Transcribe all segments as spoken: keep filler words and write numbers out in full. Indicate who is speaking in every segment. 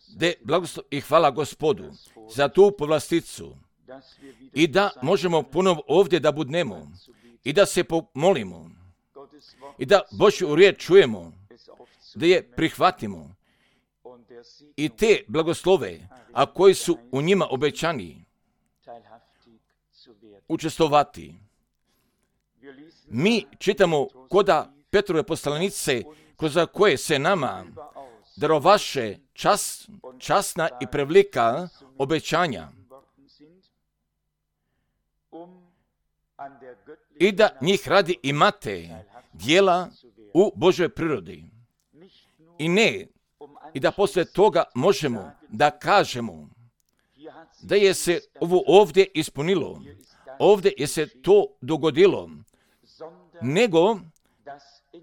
Speaker 1: De blagoslov i hvala Gospodu za tu povlasticu i da možemo ponovo ovdje da budnemo i da se pomolimo i da Božju riječ čujemo, da je prihvatimo i te blagoslove, a koji su u njima obećani, učestvovati. Mi čitamo koda Petrove poslanice, kroz koje se nama darovaše čas, časna i prevlika obećanja i da njih radi imate dijela u Božoj prirodi. I ne, i da poslije toga možemo da kažemo da je se ovo ovdje ispunilo, ovdje je se to dogodilo, nego,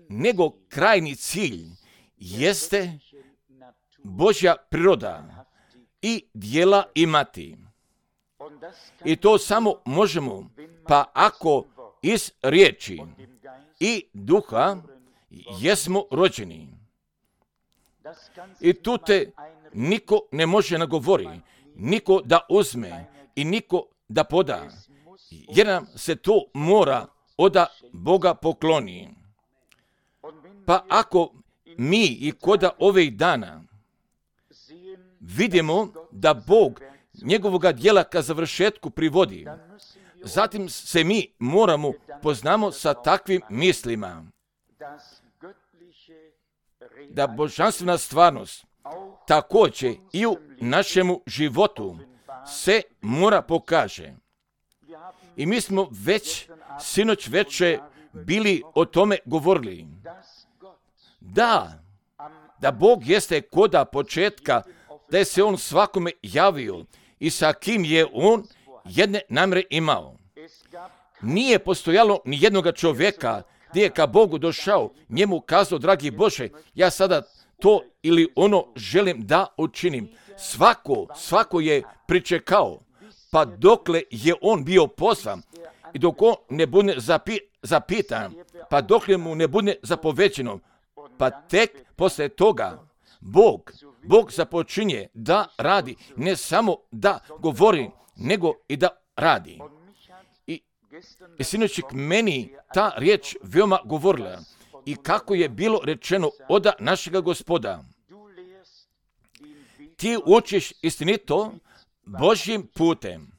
Speaker 1: nego krajni cilj jeste Božja priroda i dijela imati. I to samo možemo, pa ako iz riječi i duha jesmo rođeni. I tu te niko ne može nagovori, niko da uzme i niko da poda, jer nam se to mora oda Boga pokloni. Pa ako mi i koda ovih dana vidimo da Bog njegovoga djela ka završetku privodi, zatim se mi moramo poznamo sa takvim mislima, da božanstvena stvarnost također i u našemu životu se mora pokaže. I mi smo već sinoć večer bili o tome govorili. Da, da Bog jeste koda početka, da je se On svakome javio i sa kim je On jedne namjere imao. Nije postojalo ni jednoga čovjeka gdje je ka Bogu došao, njemu kazao, dragi Bože, ja sada to ili ono želim da učinim. Svako, svako je pričekao, pa dokle je on bio pozvan i dok on ne bude zapi, zapitan, pa dokle mu ne bude zapovećeno, pa tek poslije toga Bog, Bog započinje da radi, ne samo da govori, nego i da radi. I, i sinoć meni ta riječ veoma govorila i kako je bilo rečeno oda našega Gospoda. Ti učiš istinito Božjim putem.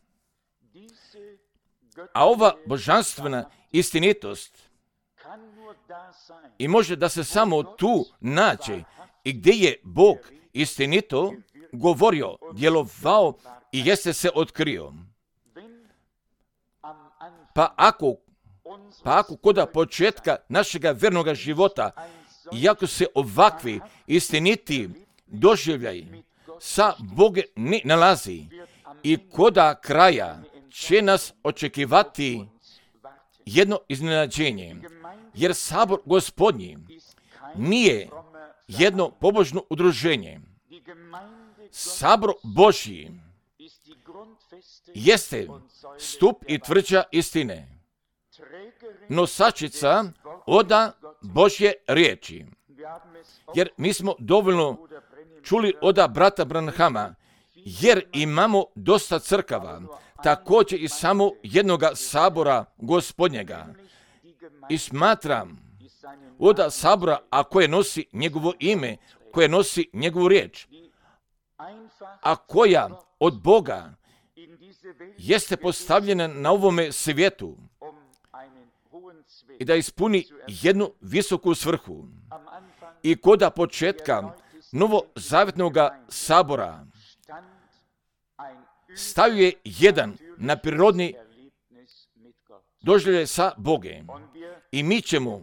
Speaker 1: A ova božanstvena istinitost i može da se samo tu nađe i gdje je Bog istinito govorio, djelovao i jeste se otkrio. Pa ako, pa ako koda početka našega vernoga života, iako se ovakvi istiniti doživljaj sa Bogom ne nalazi i koda kraja će nas očekivati jedno iznenađenje, jer sabor Gospodnji nije jedno pobožno udruženje. Sabor Božji jeste stup i tvrđa istine, nosačica oda Božje riječi. Jer mi smo dovoljno čuli oda brata Branhama, jer imamo dosta crkava, također i samo jednoga sabora Gospodnjega. I smatram oda sabora, a koje nosi njegovo ime, koje nosi njegovu riječ, a koja od Boga jeste postavljena na ovome svijetu i da ispuni jednu visoku svrhu. I koda početka novozavjetnog sabora stavio je jedan na prirodni doživljaj sa Bogem. I mi ćemo,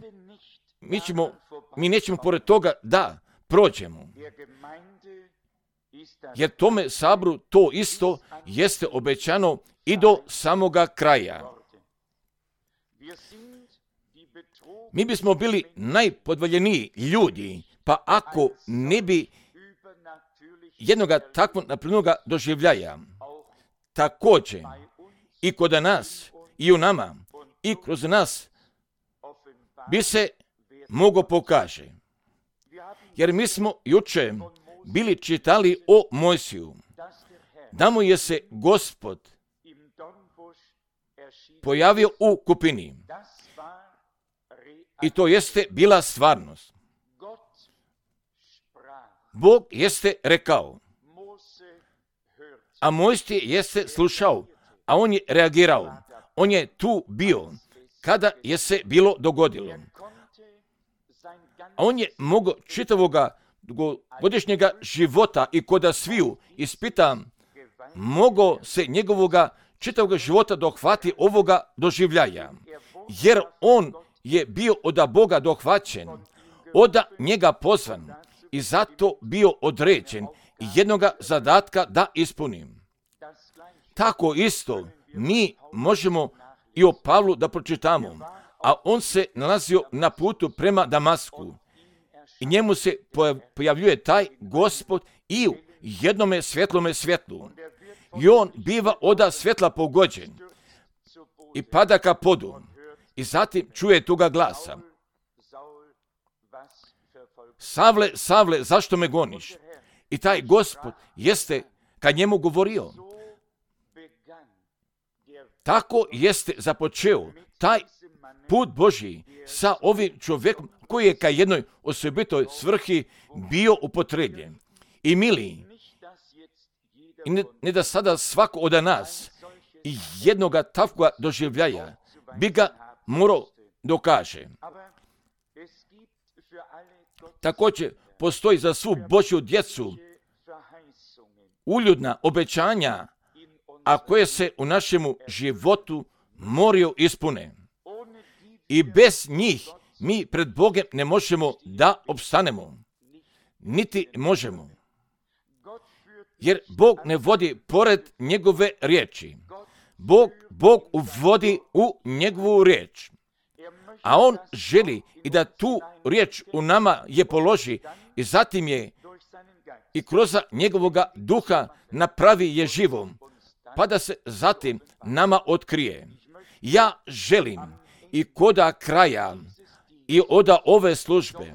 Speaker 1: mi ćemo, mi nećemo pored toga da prođemo. Jer tome saboru to isto jeste obećano i do samoga kraja. Mi bismo bili najpodvaljeniji ljudi, pa ako ne bi jednoga takvog naprirodnoga doživljaja, također i kod nas, i u nama, i kroz nas, bi se mogo pokaže. Jer mi smo juče bili čitali o Mojsiju, da mu je se Gospod pojavio u kupini. I to jeste bila stvarnost. Bog jeste rekao, a Mojsije jeste slušao, a on je reagirao. On je tu bio kada je se bilo dogodilo. A on je mogao čitavoga godišnjega života i koda sviju ispita, mogao se njegovoga čitavoga života dohvati ovoga doživljaja. Jer on je bio od Boga dohvaćen, od njega pozvan i zato bio određen jednoga zadatka da ispunim. Tako isto mi možemo i o Pavlu da pročitamo, a on se nalazio na putu prema Damasku i njemu se pojavljuje taj Gospod i u jednome svjetlome svjetlu. I on biva oda svjetla pogođen i pada ka podu i zatim čuje tuga glasa. Savle, Savle, zašto me goniš? I taj Gospod jeste kad njemu govorio. Tako jeste započeo taj put Božji sa ovim čovjekom koji je ka jednoj osobitoj svrhi bio upotrebljen. I mili, i ne, ne da sada svako od nas i jednoga takvoga doživljaja bi ga morao dokaže. Također postoji za svu Božju djecu uljudna obećanja, a koje se u našemu životu moraju ispune. I bez njih mi pred Bogom ne možemo da opstanemo, niti možemo. Jer Bog ne vodi pored njegove riječi. Bog, Bog uvodi u njegovu riječ. A on želi i da tu riječ u nama je položi i zatim je i kroz njegovoga duha napravi je živom, pa da se zatim nama otkrije. Ja želim i koda kraja i oda ove službe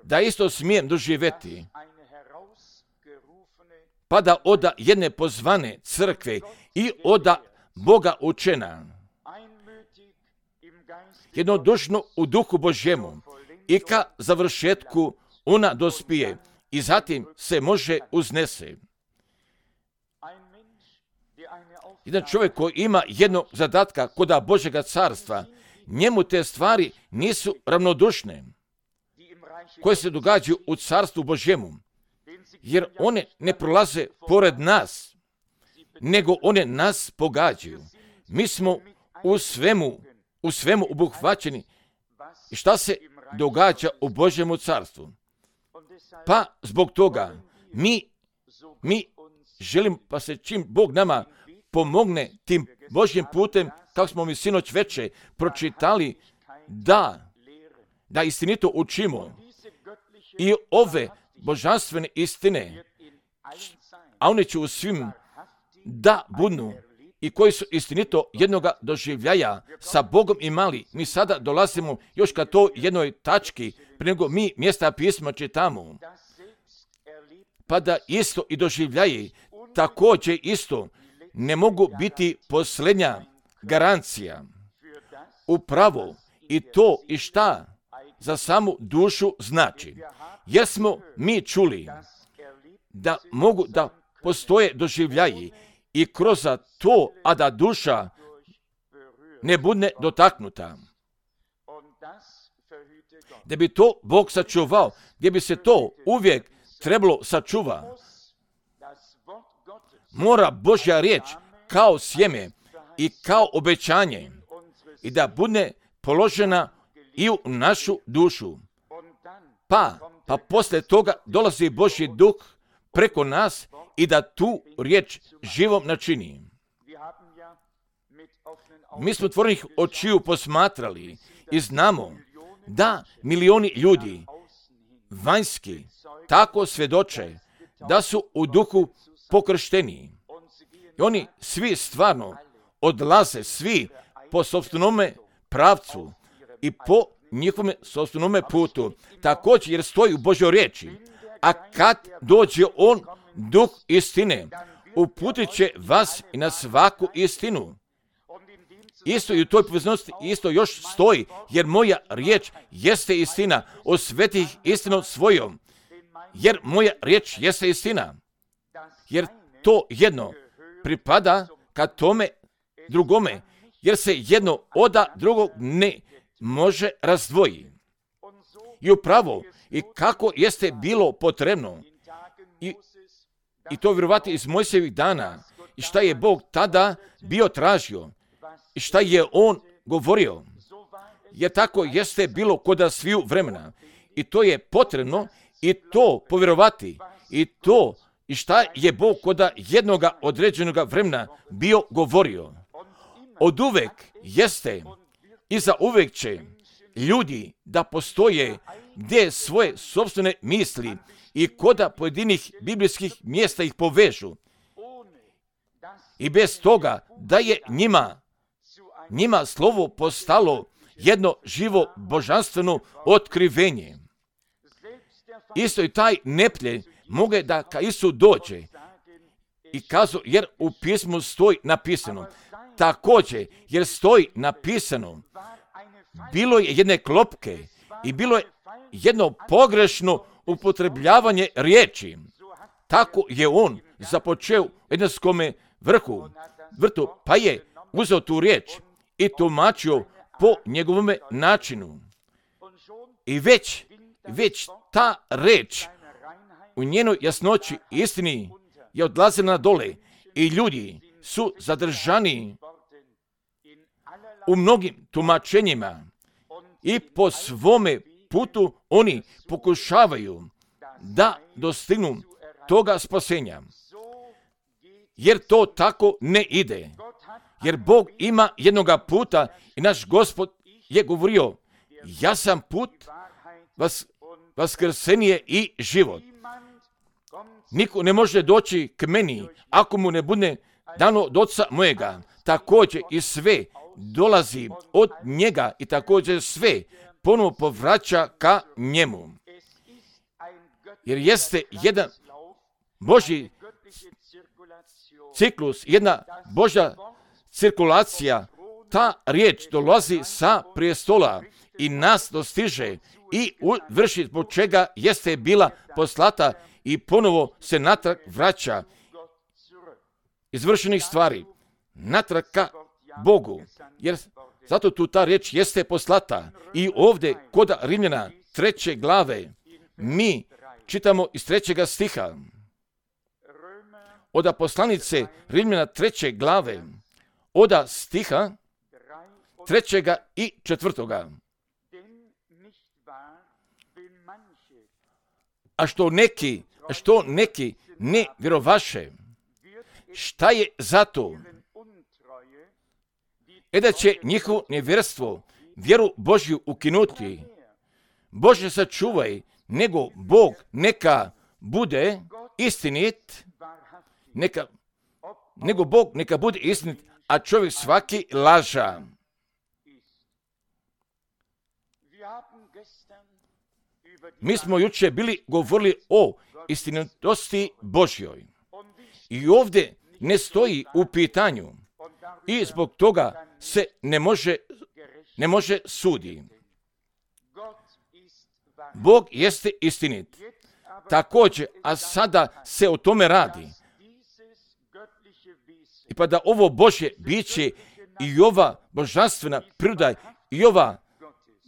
Speaker 1: da isto smijem doživjeti, pa da oda jedne pozvane crkve i oda Boga učena, jednodušno u duhu Božjemu i ka završetku ona dospije i zatim se može uznese. Jedan čovjek koji ima jednog zadatka koda Božjega carstva, njemu te stvari nisu ravnodušne koje se događaju u carstvu Božjemu, jer one ne prolaze pored nas, nego one nas pogađaju. Mi smo u svemu, u svemu obuhvaćeni i šta se događa u Božjemu carstvu. Pa zbog toga mi, mi želimo pa se čim Bog nama pomogne tim Božjim putem, kako smo mi sinoć veče pročitali, da, da istinito učimo i ove božanstvene istine, a one će u svim da budu i koji su istinito jednoga doživljaja sa Bogom imali. Mi sada dolazimo još ka to jednoj tački, prije nego mi mjesta pisma čitamo, pa da isto i doživljaji također isto ne mogu biti posljednja garancija. Upravo i to i šta za samu dušu znači. Jer smo mi čuli da mogu da postoje doživljaji i kroz to, a da duša ne bude dotaknuta. Da bi to Bog sačuvao, gdje bi se to uvijek trebalo sačuva, mora Božja riječ kao sjeme i kao obećanje i da bude položena i u našu dušu. Pa, pa poslije toga dolazi Božji duh preko nas i da tu riječ živom načini. Mi smo otvorenih očiju posmatrali i znamo da milioni ljudi vanjski tako svjedoče da su u duhu pokršteni. I oni svi stvarno odlaze, svi po sopstvenome pravcu i po njihovome sopstvenome putu. Također jer stoji u Božjoj riječi, A kad dođe on, duh istine, uputit će vas i na svaku istinu. Isto i u toj povezanosti isto još stoji, jer moja riječ jeste istina, osveti ih istinom svojom. Jer moja riječ jeste istina. Jer to jedno pripada ka tome drugome, jer se jedno oda drugog ne može razdvoji. I upravo, i kako jeste bilo potrebno, i, i to vjerovati iz Mojsijevih dana, i šta je Bog tada bio tražio, i šta je on govorio, jer tako jeste bilo kod sviju vremena. I to je potrebno, i to povjerovati, i to, i šta je Bog kod jednoga određenog vremena bio govorio. Od uvek jeste i za uvek će ljudi da postoje gdje svoje sopstvene misli i koda pojedinih biblijskih mjesta ih povežu. I bez toga da je njima, njima slovo postalo jedno živo božanstveno otkrivenje. Isto i taj neplje moge da ka Isu dođe i kazu, jer u pismu stoji napisano. Također, jer stoji napisano, bilo je jedne klopke i bilo je jedno pogrešno upotrebljavanje riječi. Tako je on započeo u Edenskome vrhu, vrtu, pa je uzeo tu riječ i tumačio po njegovome načinu. I već, već ta reč u njenoj jasnoći istini je odlazila na dole i ljudi su zadržani u mnogim tumačenjima i po svome putu oni pokušavaju da dostignu toga spasenja. Jer to tako ne ide. Jer Bog ima jednoga puta i naš Gospod je govorio, ja sam put, vas, vaskrsenje i život. Niko ne može doći k meni ako mu ne bude dano od Oca mojega. Također i sve dolazi od njega i također sve ponovo povraća ka njemu. Jer jeste jedan Božji ciklus, jedna Božja cirkulacija, ta riječ dolazi sa prijestola i nas dostiže i vrši zbog čega jeste bila poslata i ponovo se natrag vraća izvršenih stvari, natrag ka Bogu, jer zato tu ta riječ jeste poslata. I ovdje kod Rimljana treće glave mi čitamo iz trećega stiha, od poslanice Rimljana treće glave, od stiha trećega i četvrtoga. A što neki, što neki ne vjerovaše, šta je zato? E da će njihovo nevjerstvo vjeru Božju ukinuti. Bože sačuvaj, nego Bog neka bude istinit, neka, nego Bog neka bude istinit, a čovjek svaki laža. Mi smo jučer bili govorili o istinitosti Božjoj. I ovdje ne stoji u pitanju i zbog toga se ne može, ne može sudi. Bog jeste istinit. Također, a sada se o tome radi. I pa da ovo Božje biće i ova božanstvena priroda i ova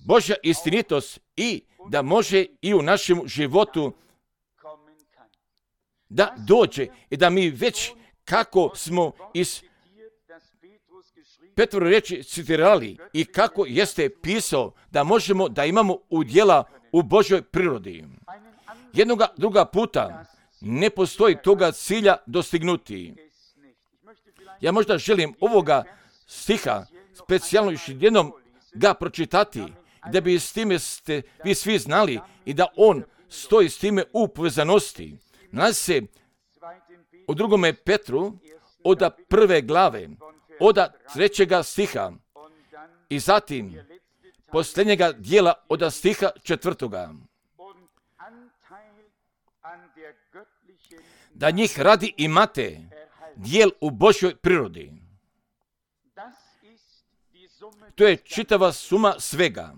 Speaker 1: Božja istinitost i da može i u našem životu da dođe i da mi već kako smo iz Petrove riječi citirali i kako jeste pisao da možemo da imamo udjela u Božjoj prirodi. Jednoga druga puta ne postoji toga cilja dostignuti. Ja možda želim ovoga stiha specijalno još jednom ga pročitati, da bi s time ste vi svi znali i da on stoji s time u povezanosti. Nalazi se u drugome Petru od prve glave, od trećega stiha i zatim posljednjega dijela od stiha četvrtoga. da njih radi imate dijel u Božjoj prirodi. To je čitava suma svega.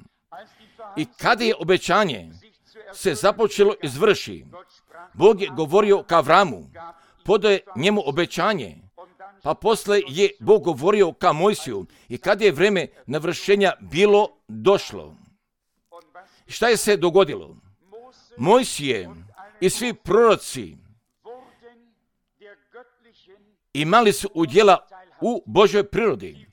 Speaker 1: I kada je obećanje se započelo izvrši, Bog je govorio ka Avramu, podao je njemu obećanje, pa posle je Bog govorio ka Mojsiju i kada je vreme navršenja bilo došlo. Šta je se dogodilo? Mojsije i svi proroci imali su udjela u Božoj prirodi,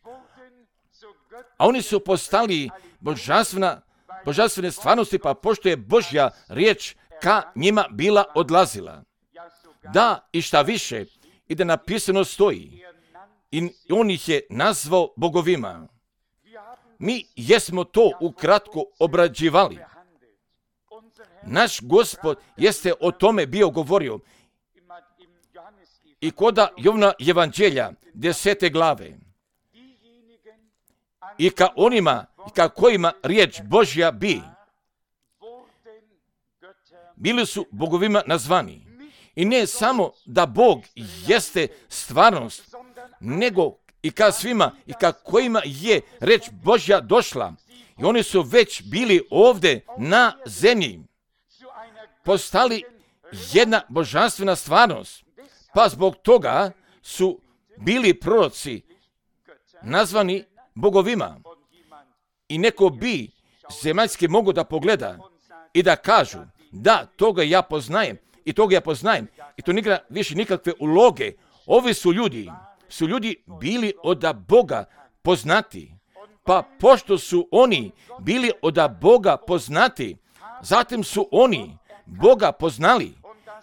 Speaker 1: a oni su postali božanstvena, božanstvene stvarnosti, pa pošto je Božja riječ ka njima bila odlazila. Da, i šta više, i da napisano stoji, i on ih je nazvao bogovima. Mi jesmo to ukratko obrađivali. Naš Gospod jeste o tome bio govorio i koda Jovna evanđelja desete glave. I ka onima i ka kojima riječ Božja bi, bili su bogovima nazvani. I ne samo da Bog jeste stvarnost, nego i ka svima i ka kojima je reč Božja došla. I oni su već bili ovdje na zemlji, postali jedna božanstvena stvarnost, pa zbog toga su bili proroci nazvani bogovima. I neko bi zemaljski mogu da pogleda i da kažu, da, toga ja poznajem i toga ja poznajem i to nikada više nikakve uloge. Ovi su ljudi, su ljudi bili od Boga poznati, pa pošto su oni bili od Boga poznati, zatim su oni Boga poznali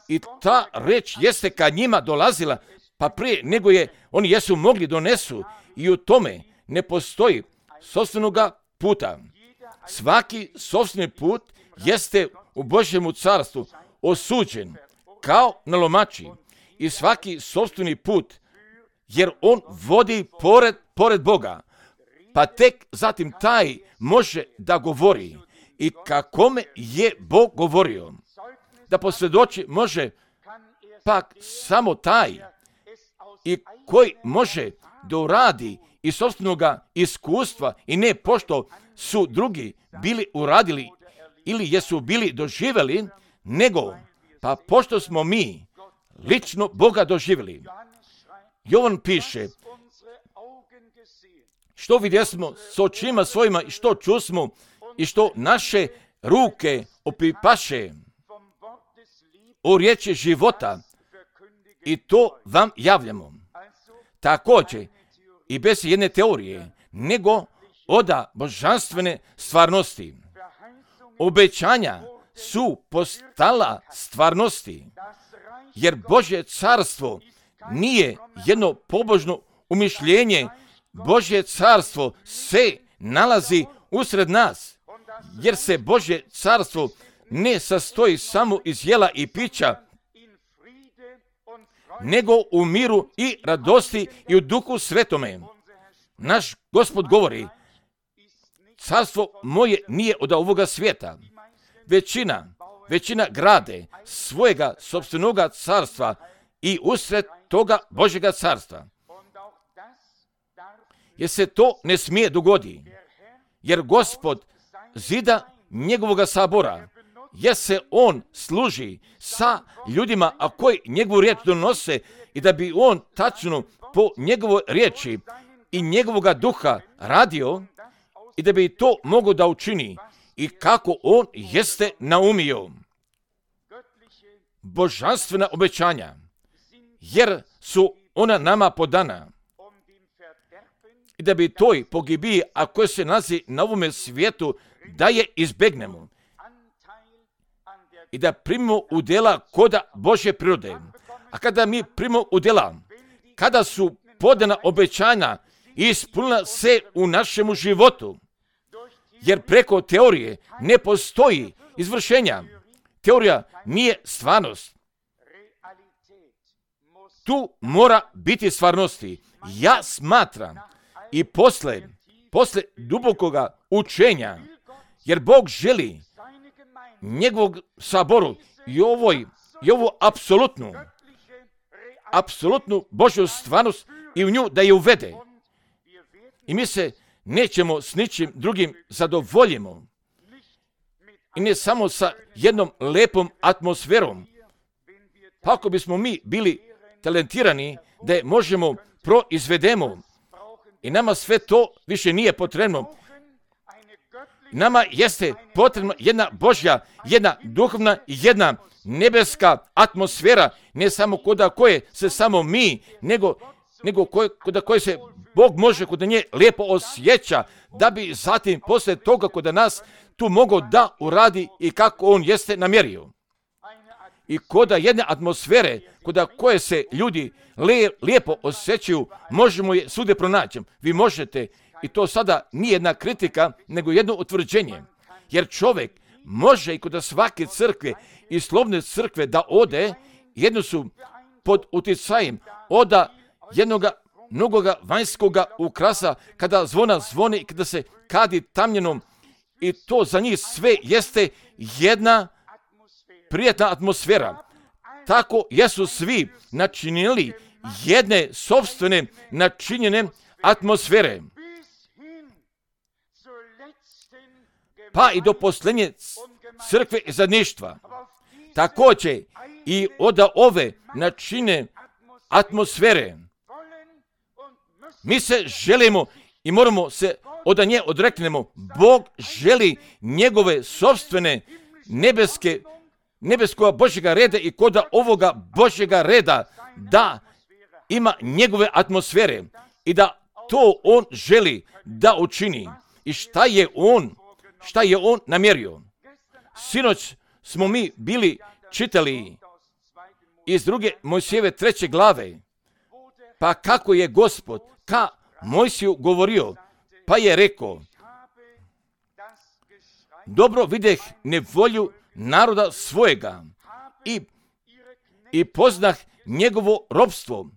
Speaker 1: i ta reč jeste ka njima dolazila, pa prije nego je oni jesu mogli donesu i u tome ne postoji sopstvenoga puta. Svaki sopstveni put jeste u Božjemu carstvu osuđen kao na lomači i svaki sopstveni put, jer on vodi pored, pored Boga, pa tek zatim taj može da govori i kakome je Bog govorio. Da posvjedoči može pak samo taj i koji može da uradi iz sopstvenoga iskustva i ne pošto su drugi bili uradili ili jesu bili doživjeli, nego pa pošto smo mi lično Boga doživjeli. Jovan piše, što vidjesmo s očima svojima i što čusmo i što naše ruke opipaše o riječi života i to vam javljamo. Također i bez jedne teorije, nego oda božanstvene stvarnosti. Obećanja su postala stvarnosti, jer Božje carstvo nije jedno pobožno umišljenje. Božje carstvo se nalazi usred nas, jer se Božje carstvo ne sastoji samo iz jela i pića, nego u miru i radosti i u Duhu Svetome. Naš Gospod govori, carstvo moje nije od ovoga svijeta. Većina, većina grade svojega sopstvenoga carstva i usred toga Božjega carstva. Jer se to ne smije dogodi, jer Gospod zida njegovoga sabora, jer se on služi sa ljudima, a koji njegovu riječ donose i da bi on tačno po njegovoj riječi i njegovoga duha radio i da bi to mogao da učini i kako on jeste naumio. Božanstvena obećanja, jer su ona nama podana i da bi toj pogibiji, a koje se nalazi na ovome svijetu, da je izbegnemo i da primimo udjela koda Božje prirode. A kada mi primimo udjela, kada su podana obećanja ispunila se u našemu životu, jer preko teorije ne postoji izvršenja. Teorija nije stvarnost. Tu mora biti stvarnosti. Ja smatram i posle, posle dubokoga učenja, jer Bog želi njegovog saboru i ovoj i ovu apsolutnu, apsolutnu Božju stvarnost i u nju da je uvede. I mi se nećemo s ničim drugim zadovoljimo. I ne samo sa jednom lepom atmosferom. Pa ako bismo mi bili talentirani da je možemo proizvedemo i nama sve to više nije potrebno. Nama jeste potrebna jedna Božja, jedna duhovna i jedna nebeska atmosfera, ne samo kod koje se samo mi, nego, nego kod koje se Bog može kod nje lijepo osjeća, da bi zatim poslije toga kod nas tu mogao da uradi i kako on jeste namjerio. I kod jedne atmosfere, kod koje se ljudi lijepo osjećaju, možemo je svude pronaći. Vi možete, i to sada nije jedna kritika, nego jedno utvrđenje. Jer čovjek može i kod svake crkve i slovne crkve da ode, jedno su pod utjecajem oda jednoga mnogoga vanjskoga ukrasa, kada zvona zvoni i kada se kadi tamljenom, i to za njih sve jeste jedna prijatna atmosfera. Tako jesu svi načinili jedne sopstvene načinjene atmosfere. Pa i do posljednje crkve i zajedništva. Također i od ove načine atmosfere mi se želimo i moramo se od nje odreknemo. Bog želi njegove sopstvene nebeske, nebeskog Božjega reda i kod ovoga Božjega reda da ima njegove atmosfere i da to on želi da učini. I šta je on, šta je on namjerio? Sinoć smo mi bili čitali iz druge Mojsijeve treće glave, pa kako je Gospod ka Mojsiju govorio, pa je rekao: dobro videh nevolju naroda svojega i, i poznah njegovo ropstvo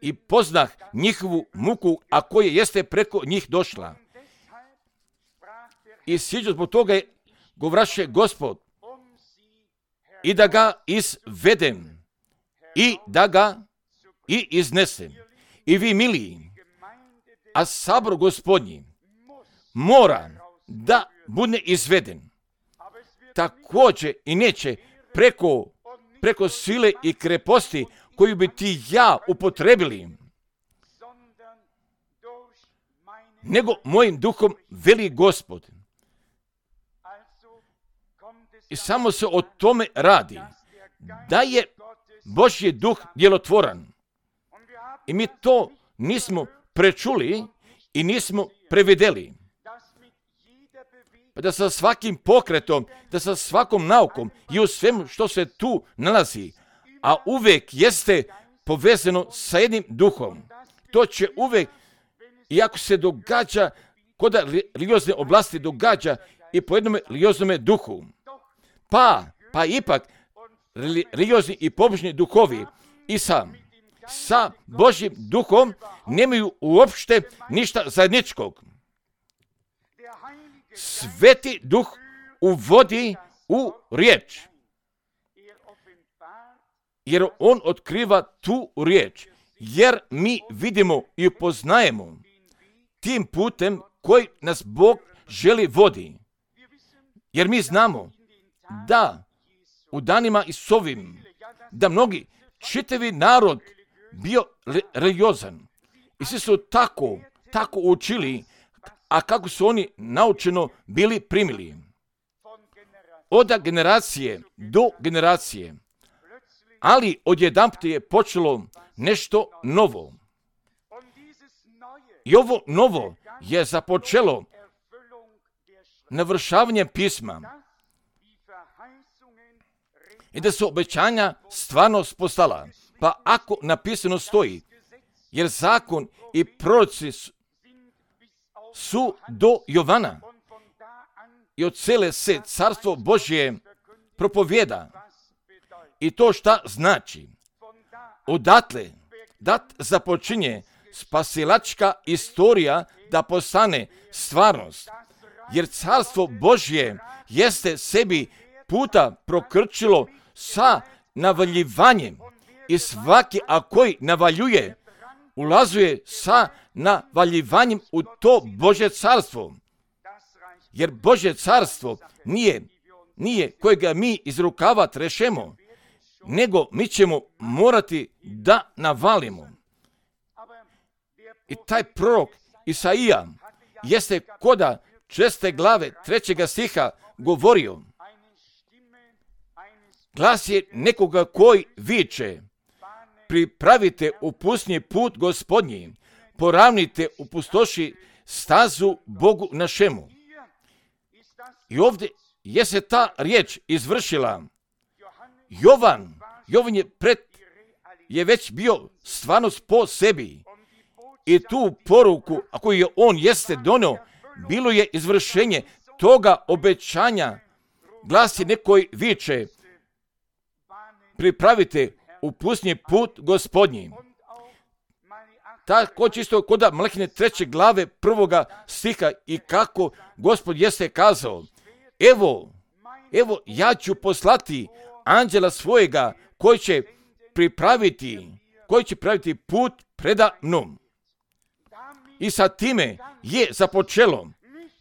Speaker 1: i poznah njihovu muku, a koje jeste preko njih došla. I sjeću zbog toga je govraše Gospod i da ga izvedem i da ga i iznesem. I vi miliji, a sabor Gospodnji mora da bude izveden. Također i neće preko, preko sile i kreposti koju bi ti ja upotrebili, nego mojim duhom veli Gospod. I samo se o tome radi, da je Božji duh djelotvoran. I mi to nismo prečuli i nismo prevedeli. Pa da sa svakim pokretom, da sa svakom naukom i u svemu što se tu nalazi, a uvijek jeste povezano sa jednim duhom. To će uvijek, iako se događa, kod religiozne oblasti događa i po jednom religioznome duhu. Pa, pa ipak, religiozni i pobožni duhovi i sam, sa Božjim duhom nemaju uopšte ništa zajedničkog. Sveti duh uvodi u riječ, jer on otkriva tu riječ, jer mi vidimo i upoznajemo tim putem koji nas Bog želi vodi. Jer mi znamo da u danima Isusovim, da mnogi čitavi narod bio religiozan. I svi su tako, tako učili, a kako su oni naučeno bili primili. Od generacije do generacije. Ali odjedanput je počelo nešto novo. I ovo novo je započelo navršavanjem pisma. I da su obećanja stvarno postala. Pa ako napisano stoji, jer zakon i proroci su do Jovana i od cele se carstvo Božje propovjeda. I to šta znači? Odatle dat započinje spasilačka istorija da postane stvarnost. Jer carstvo Božje jeste sebi puta prokrčilo sa navaljivanjem i svaki, a koji navaljuje, ulazuje sa navaljivanjem u to Božje carstvo. Jer Božje carstvo nije, nije kojega mi iz rukava trešemo, nego mi ćemo morati da navalimo. I taj prorok Isaija jeste koda šeste glave trećega stiha govorio. Glas je nekoga koji viče: pripravite u pustinji put Gospodnji, poravnite u pustoši stazu Bogu našemu. I ovdje je se ta riječ izvršila. Jovan, Jovan je, pred, je već bio stvarnost po sebi. I tu poruku, a koju je on jeste donio, bilo je izvršenje toga obećanja. Glas je nekoj viče: pripravite u pustinji put Gospodnji. Tako čisto koda Malahine treće glave prvoga stiha i kako Gospod jeste kazao: evo, evo ja ću poslati anđela svojega koji će pripraviti, koji će pripraviti put preda mnom. I sa time je započelo.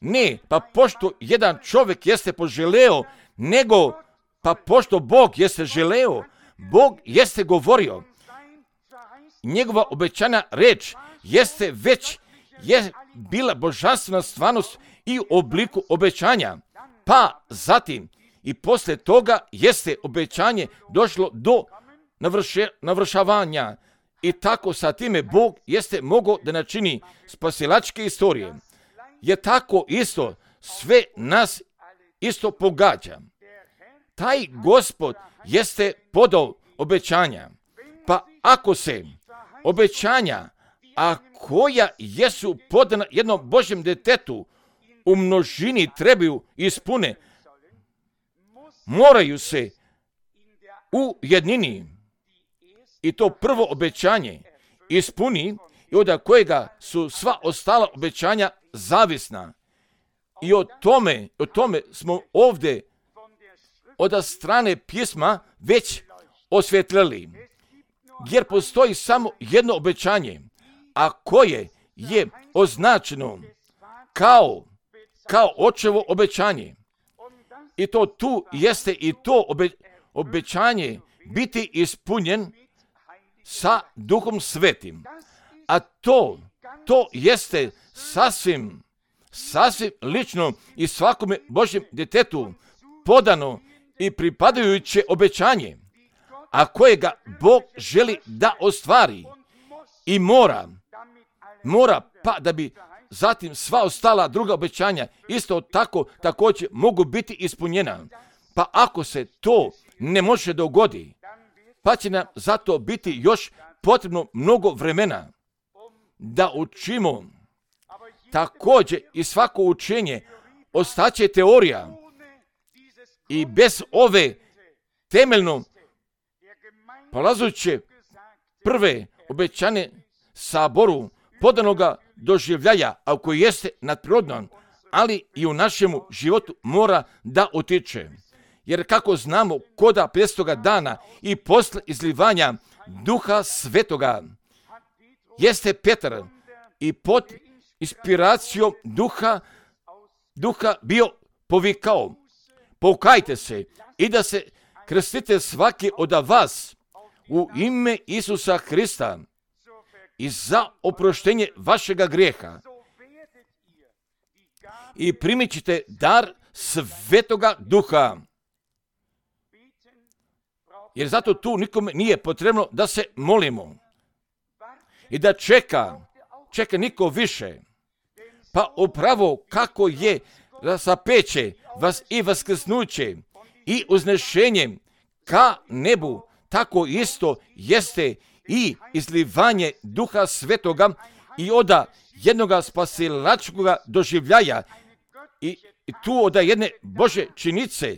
Speaker 1: Ne, pa pošto jedan čovjek jeste poželeo, nego pa pošto Bog jeste želeo, Bog jeste govorio. Njegova obećana reč jeste već je bila božanstvena stvarnost i u obliku obećanja. Pa zatim i poslije toga jeste obećanje došlo do navrše, navršavanja. I tako sa time Bog jeste mogao da načini spasilačke istorije. Je tako isto sve nas isto pogađa. Taj Gospod jeste podao obećanja. Pa ako se obećanja, a koja jesu podana jednom Božjem detetu, u množini trebaju ispune, moraju se u jednini i to prvo obećanje ispuni i od kojega su sva ostala obećanja zavisna. I o tome, o tome smo ovdje od strane pisma već osvjetlili. Jer postoji samo jedno obećanje, a koje je označeno kao, kao očevo obećanje. I to tu jeste i to obe, obećanje biti ispunjen sa Duhom Svetim. A to, to jeste sasvim, sasvim lično i svakome Božjem djetetu podano i pripadajuće obećanje, a kojega Bog želi da ostvari i mora, mora pa da bi zatim sva ostala druga obećanja isto tako također mogu biti ispunjena. Pa ako se to ne može dogodi, pa će nam zato biti još potrebno mnogo vremena da učimo. Također i svako učenje ostaće teorija i bez ove temeljno polazuće prve obećane saboru podanoga doživljaja, a koji jeste nadprirodan, ali i u našemu životu mora da utiče. Jer kako znamo, koda petstoga dana i posle izlivanja Duha Svetoga jeste Petar i pod inspiracijom Duha, Duha bio povikao: pokajte se i da se krstite svaki od vas u ime Isusa Hrista i za oproštenje vašega grijeha. I primit ćete dar Svetoga Duha. Jer zato tu nikome nije potrebno da se molimo i da čeka, čeka niko više. Pa upravo kako je rasapeće vas i vaskrsnuće i uznešenjem ka nebu, tako isto jeste i izlivanje Duha Svetoga i oda jednoga spasilačkoga doživljaja i, i tu oda jedne Bože činice.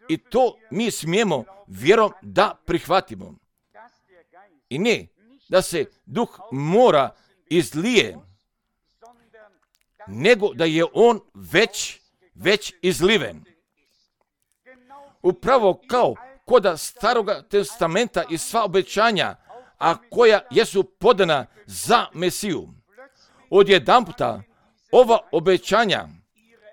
Speaker 1: I to mi smijemo vjerom da prihvatimo. I ne da se Duh mora izlije, nego da je on već, već izliven. upravo kao koda Staroga testamenta i sva obećanja, a koja jesu podana za Mesiju. Odjedanputa ova obećanja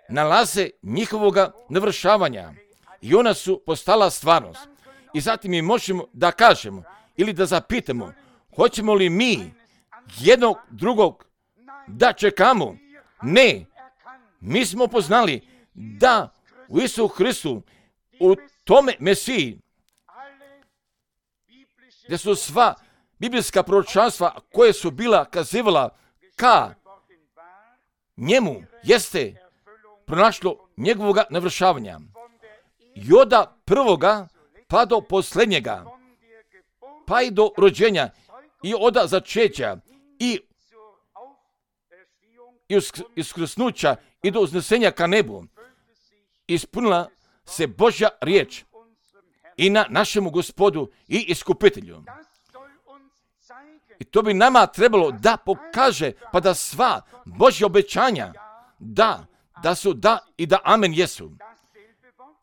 Speaker 1: nalaze njihovoga navršavanja i ona su postala stvarnost. I zatim mi možemo da kažemo ili da zapitamo, hoćemo li mi jednog drugog da čekamo? Ne, mi smo poznali da u Isusu Hristu, u tome Mesiji, gdje su sva biblijska proročanstva koje su bila kazivala ka njemu, jeste pronašlo njegovoga navršavanja. I od prvoga pa do posljednjega, pa i do rođenja, i od začeća, i iskrsnuća, i do uznesenja ka nebu, ispunila se Božja riječ i na našemu Gospodu i Iskupitelju. I to bi nama trebalo da pokaže, pa da sva Božja obećanja, da, da su da i da amen jesu.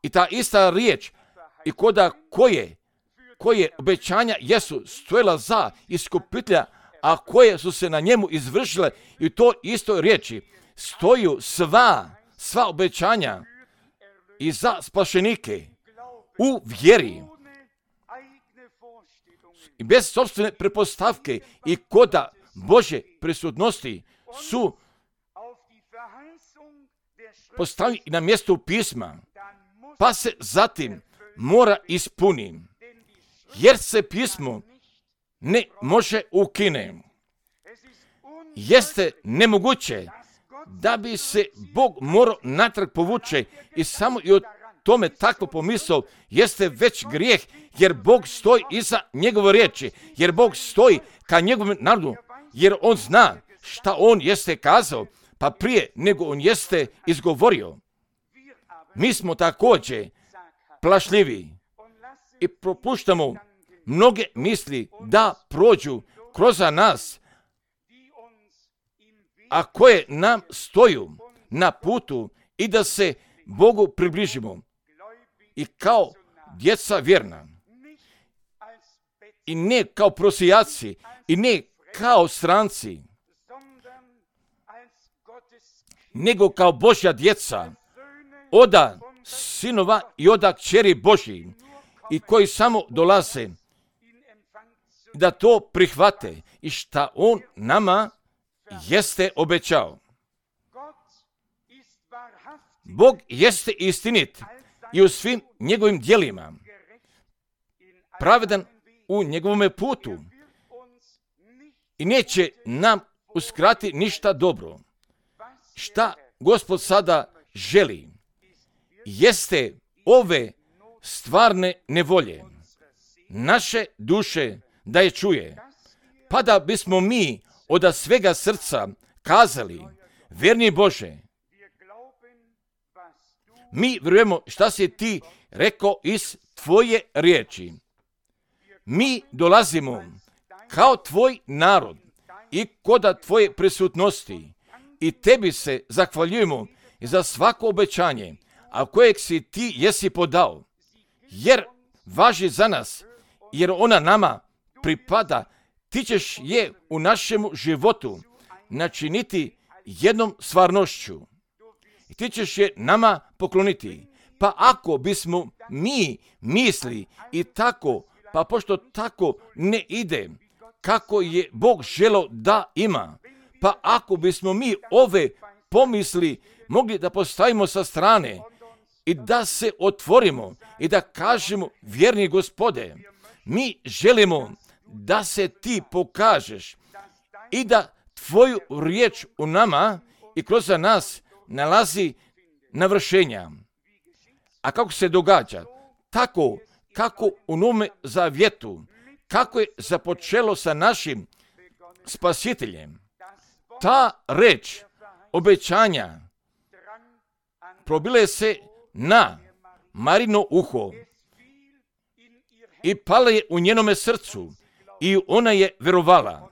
Speaker 1: I ta ista riječ, i koda koje, koje obećanja jesu stojila za Iskupitelja, a koje su se na njemu izvršile, i to istoj riječi stoju sva, sva obećanja i za spašenike u vjeri i bez sopstvene pretpostavke i koda Božje prisutnosti su postavljeni na mjestu pisma, pa se zatim mora ispuni, jer se pismo ne može ukine. Jeste nemoguće da bi se Bog morao natrag povuče i samo i o tome takvo pomisao jeste već grijeh, jer Bog stoji iza njegove riječi, jer Bog stoji ka njegovom narodu, jer on zna šta on jeste kazao, pa prije nego on jeste izgovorio. Mi smo također plašljivi i propuštamo mnoge misli da prođu kroz nas, a koje nam stoju na putu i da se Bogu približimo. I kao djeca vjerna, i ne kao prosijaci, i ne kao stranci, nego kao Božja djeca, oda sinova i oda kćeri Božji, i koji samo dolaze da to prihvate i šta on nama jeste obećao. Bog jeste istinit i u svim njegovim djelima, pravedan u njegovome putu i neće nam uskrati ništa dobro. Šta Gospod sada želi jeste ove stvarne nevolje naše duše da je čuje, pa da bismo mi od svega srca kazali, vjerni Bože, mi vjerujemo šta si ti rekao iz tvoje riječi. Mi dolazimo kao tvoj narod i koda tvoje prisutnosti i tebi se zahvaljujemo za svako obećanje, a kojeg si ti jesi podao, jer važi za nas, jer ona nama pripada. Ti ćeš je u našemu životu načiniti jednom stvarnošću i ti ćeš je nama pokloniti. Pa ako bismo mi misli i tako, pa pošto tako ne ide kako je Bog želeo da ima, pa ako bismo mi ove pomisli mogli da postavimo sa strane i da se otvorimo i da kažemo, vjerni Gospode, mi želimo da se ti pokažeš i da tvoju riječ u nama i kroz nas nalazi navršenja. A kako se događa? Tako kako u Novome Zavjetu, kako je započelo sa našim Spasiteljem. Ta reč obećanja probile se na Marino uho i pala je u njenome srcu i ona je verovala.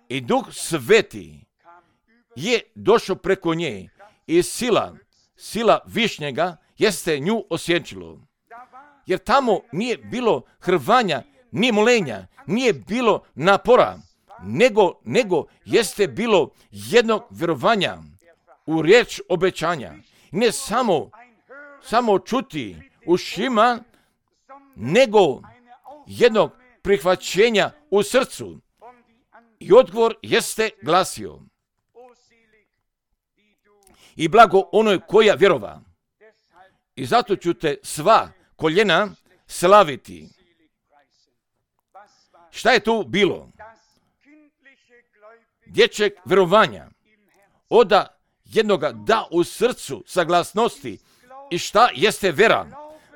Speaker 1: I Duh Sveti je došao preko nje i sila, sila Višnjega jeste nju osjećilo. jer tamo nije bilo hrvanja, ni molenja, nije bilo napora, nego, nego jeste bilo jednog vjerovanja u riječ obećanja. Ne samo, samo čuti ušima, nego jednog prihvaćenja u srcu. I odgovor jeste glasio: i blago onoj koja vjerova. I zato ću te sva koljena slaviti. Šta je tu bilo? Dječjeg vjerovanja. Oda jednoga da u srcu saglasnosti. I šta jeste vera?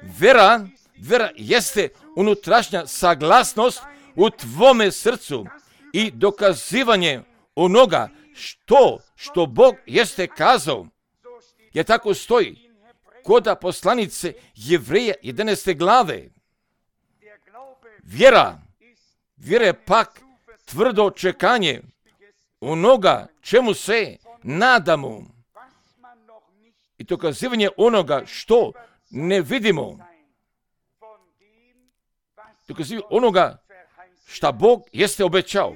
Speaker 1: Vera, vera jeste unutrašnja saglasnost u tvome srcu i dokazivanje onoga što, što Bog jeste kazao. Jer tako stoji kod poslanice Jevreja jedanaeste glave. Vjera, vjera je pak tvrdo čekanje onoga čemu se nadamo i dokazivanje onoga što ne vidimo. Dokazivanje onoga šta Bog jeste obećao.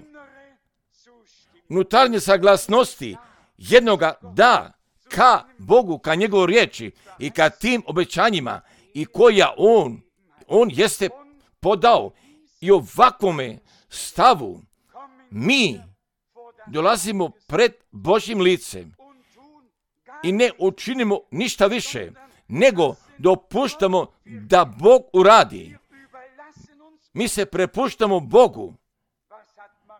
Speaker 1: Unutarnje saglasnosti jednoga da ka Bogu, ka njegovoj riječi i ka tim obećanjima i koja on, on jeste podao. I ovakvome stavu mi dolazimo pred Božjim licem i ne učinimo ništa više, nego dopuštamo da Bog uradi. Mi se prepuštamo Bogu.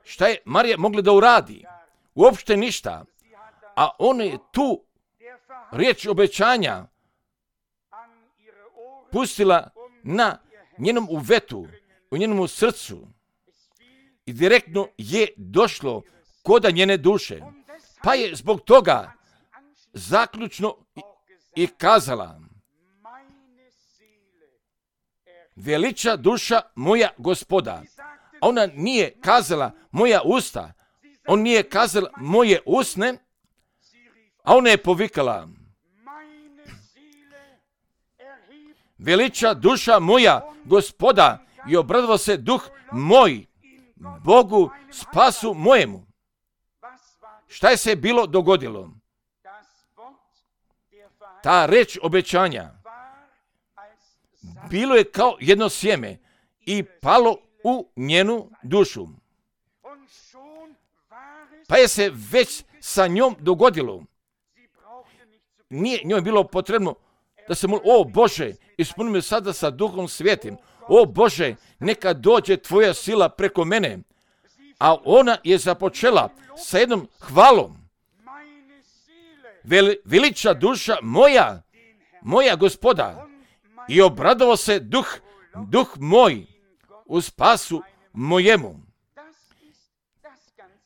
Speaker 1: Šta je Marija mogla da uradi? Uopšte ništa. A ona je tu riječ obećanja pustila na njenom uvetu, u njenom srcu i direktno je došlo koda njene duše. Pa je zbog toga zaključno i kazala: veliča duša moja Gospoda. A ona nije kazala moja usta, on nije kazala moje usne, a ona je povikala: veliča duša moja Gospoda i obradovao se duh moj Bogu spasu mojemu. Šta je se bilo dogodilo? Ta reč obećanja bilo je kao jedno sjeme i palo u njenu dušu. Pa je se već sa njom dogodilo. Nije njoj bilo potrebno da se moli: o Bože, ispuni me sada sa Duhom Svetim. O Bože, neka dođe tvoja sila preko mene. A ona je započela sa jednom hvalom. Veliča duša moja, moja Gospoda, i obradovao se duh, duh moj u spasu mojemu.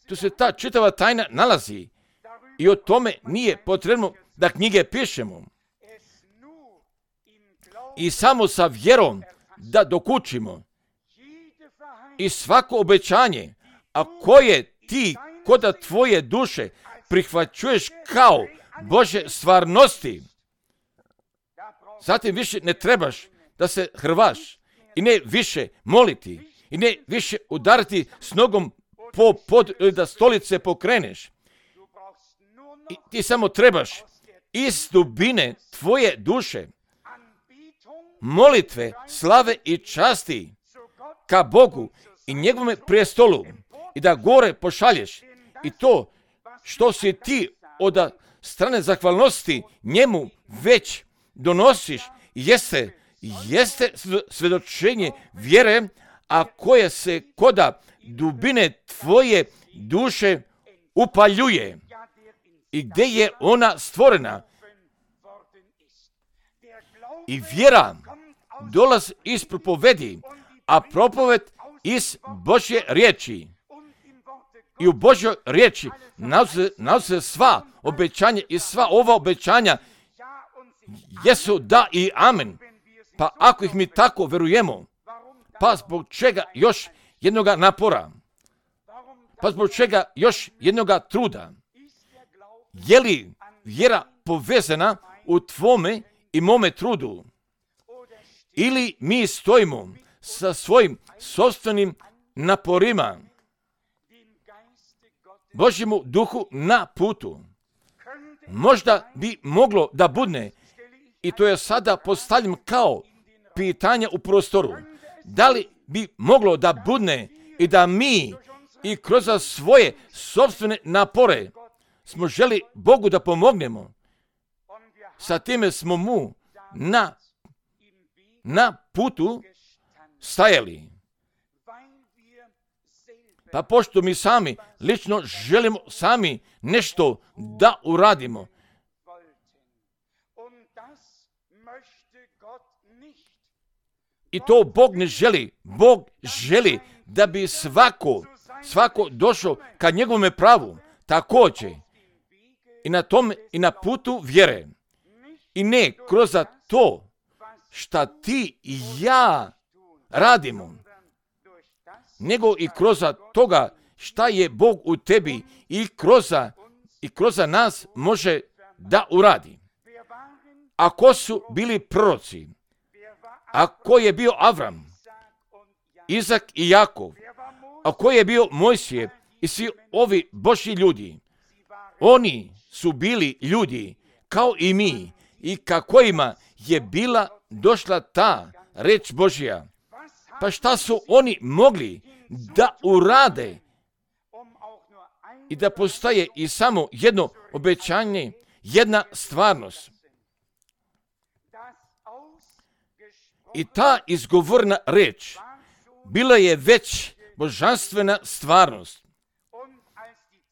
Speaker 1: Tu se ta čitava tajna nalazi i o tome nije potrebno da knjige pišemo. I samo sa vjerom da dokučimo. I svako obećanje, a koje ti koda tvoje duše prihvaćuješ kao Bože stvarnosti, zatim više ne trebaš da se hrvaš i ne više moliti i ne više udariti s nogom po pod ili da stolice pokreneš. I ti samo trebaš iz dubine tvoje duše molitve, slave i časti ka Bogu i njegovome prijestolu i da gore pošalješ. I to što si ti od strane zahvalnosti njemu već donosiš jeste, jeste svjedočenje vjere, a koje se koda dubine tvoje duše upaljuje i gdje je ona stvorena. I vjera dolazi iz propovedi, a propoved iz Božje riječi. I u Božjoj riječi nalaze se sva obećanja i sva ova obećanja jesu da i amen. Pa ako ih mi tako verujemo, pa zbog čega još jednoga napora? Pa zbog čega još jednoga truda? Je li vjera povezana u tvome i mome trudu? ili mi stojimo sa svojim sopstvenim naporima Božjemu duhu na putu. Možda bi moglo da budne, i to je sada postavljam kao pitanje u prostoru, da li bi moglo da budne i da mi i kroz svoje sopstvene napore smo želi Bogu da pomognemo. Sa time smo mu na, na putu stajali. Pa pošto mi sami lično želimo sami nešto da uradimo, i to Bog ne želi. Bog želi da bi svako, svako došao ka njegovome pravu, također i na tom i na putu vjere. I ne kroz to šta ti i ja radimo, nego i kroz toga šta je Bog u tebi i kroz, i kroz nas može da uradi. Ako su bili proroci, ako je bio Avram, Izak i Jakov, ako je bio Mojsije i svi ovi Božji ljudi, oni su bili ljudi kao i mi i kako ima je bila došla ta reč Božja. Pa šta su oni mogli da urade i da postaje i samo jedno obećanje, jedna stvarnost. I ta izgovorna reč bila je već božanstvena stvarnost.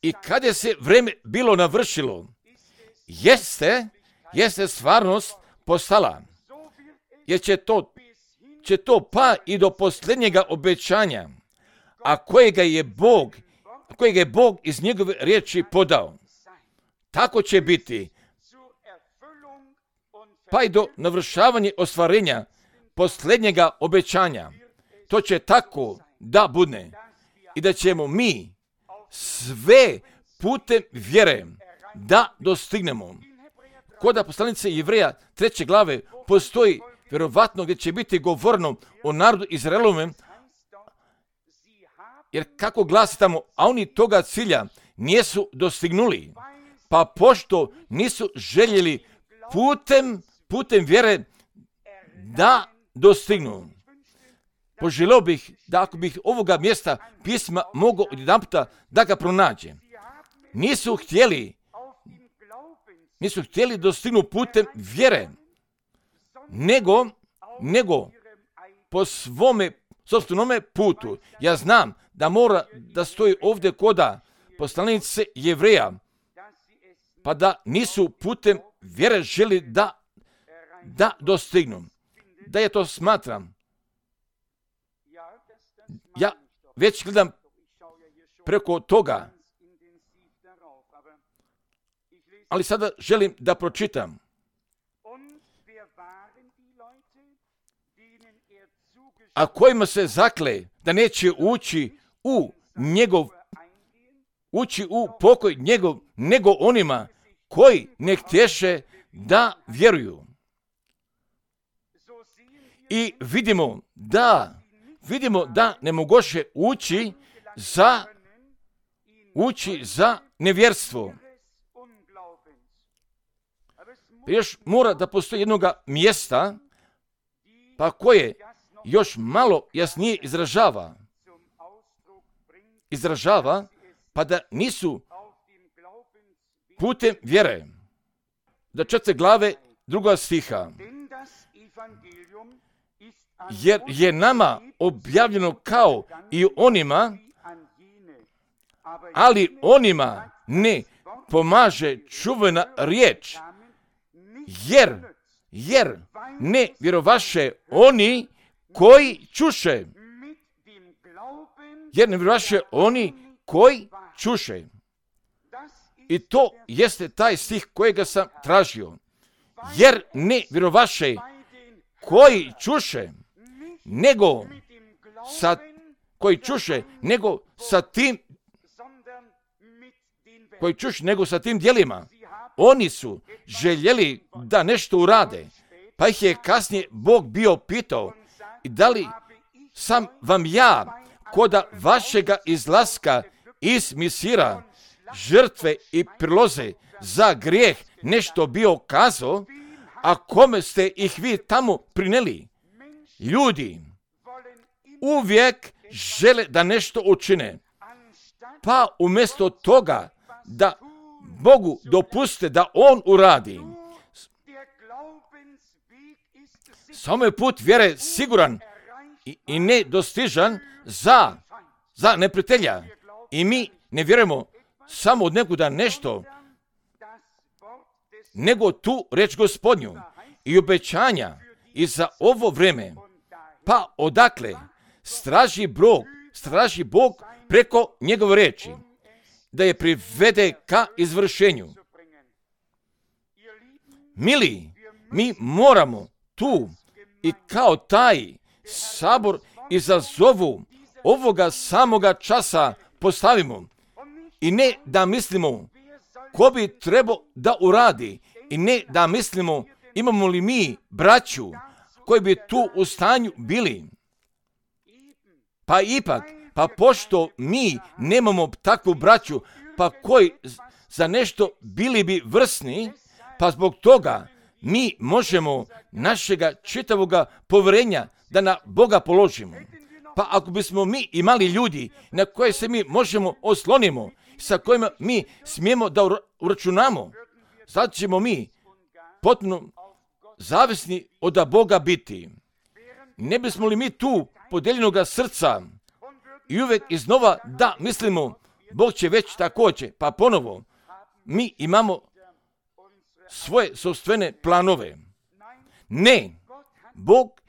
Speaker 1: I kad je se vreme bilo navršilo, jeste, jeste stvarnost postala. Jer će to, će to pa i do posljednjega obećanja, a kojega je Bog, kojega je Bog iz njegove riječi podao. Tako će biti, pa i do navršavanja ostvarenja posljednjega obećanja. To će tako da bude i da ćemo mi sve putem vjere da dostignemo. Kod poslanice Jevreja treće glave postoji vjerovatno gdje će biti govorno o narodu Izraelove, jer kako glasi tamo, a oni toga cilja nisu dostignuli, pa pošto nisu željeli putem, putem vjere da dostignu. Poželio bih da ako bih ovoga mjesta pisma mogao odjedanputa da ga pronađe. Nisu htjeli, nisu htjeli dostignu putem vjere, nego, nego po svome sopstvenome putu. Ja znam da mora da stoji ovdje koda poslanice Jevreja, pa da nisu putem vjere želi da, da dostignu. Da je to smatram. Ja već gledam preko toga, ali sada želim da pročitam. A kojima se zakle da neće ući u njegov, ući u pokoj njegov, nego onima koji ne htješe da vjeruju. I vidimo da, vidimo da ne mogoše ući za, ući za nevjerstvo. Još mora da postoji jednoga mjesta, pa koje još malo jasnije izražava. Izražava, pa da nisu putem vjere. Da četvrte glave druga stiha. Jer je nama objavljeno kao i onima, ali onima ne pomaže čuvena riječ, jer, jer ne vjerovaše oni koji čuše. Jer ne vjerovaše oni koji čuše. I to jeste taj stih kojega sam tražio. Jer ne vjerovaše koji čuše, nego sa, koji čuše, nego sa tim, koji čuše, nego sa tim djelima. Oni su željeli da nešto urade, Pa ih je kasnije Bog bio pitao, i da li sam vam ja, koda vašega izlaska iz Misira, žrtve i priloze za grijeh nešto bio kazao, a kome ste ih vi tamo prineli? Ljudi uvijek žele da nešto učine, pa umjesto toga da Bogu dopuste da On uradi. Samo je put vjere siguran i, i nedostižan za, za neprijatelja. I mi ne vjerujemo samo od nekuda nešto, nego tu reč Gospodnju i obećanja i za ovo vrijeme. Pa odakle straži Bog, straži Bog preko njegove reči, da je privede ka izvršenju. Mili, mi moramo tu i kao taj sabor izazovu ovoga samoga časa postavimo. I ne da mislimo ko bi trebao da uradi, i ne da mislimo imamo li mi braću koji bi tu u stanju bili. Pa ipak, pa pošto mi nemamo takvu braću, pa koji za nešto bili bi vrsni, pa zbog toga mi možemo našega čitavoga povjerenja da na Boga položimo. Pa ako bismo mi imali ljudi na koje se mi možemo oslonimo, sa kojima mi smijemo da uračunamo, sad ćemo mi potpuno zavisni od Boga biti. Ne bismo li mi tu podijeljenoga srca i uvijek iznova da mislimo Bog će već također, pa ponovo mi imamo svoje sopstvene planove. Ne, Bog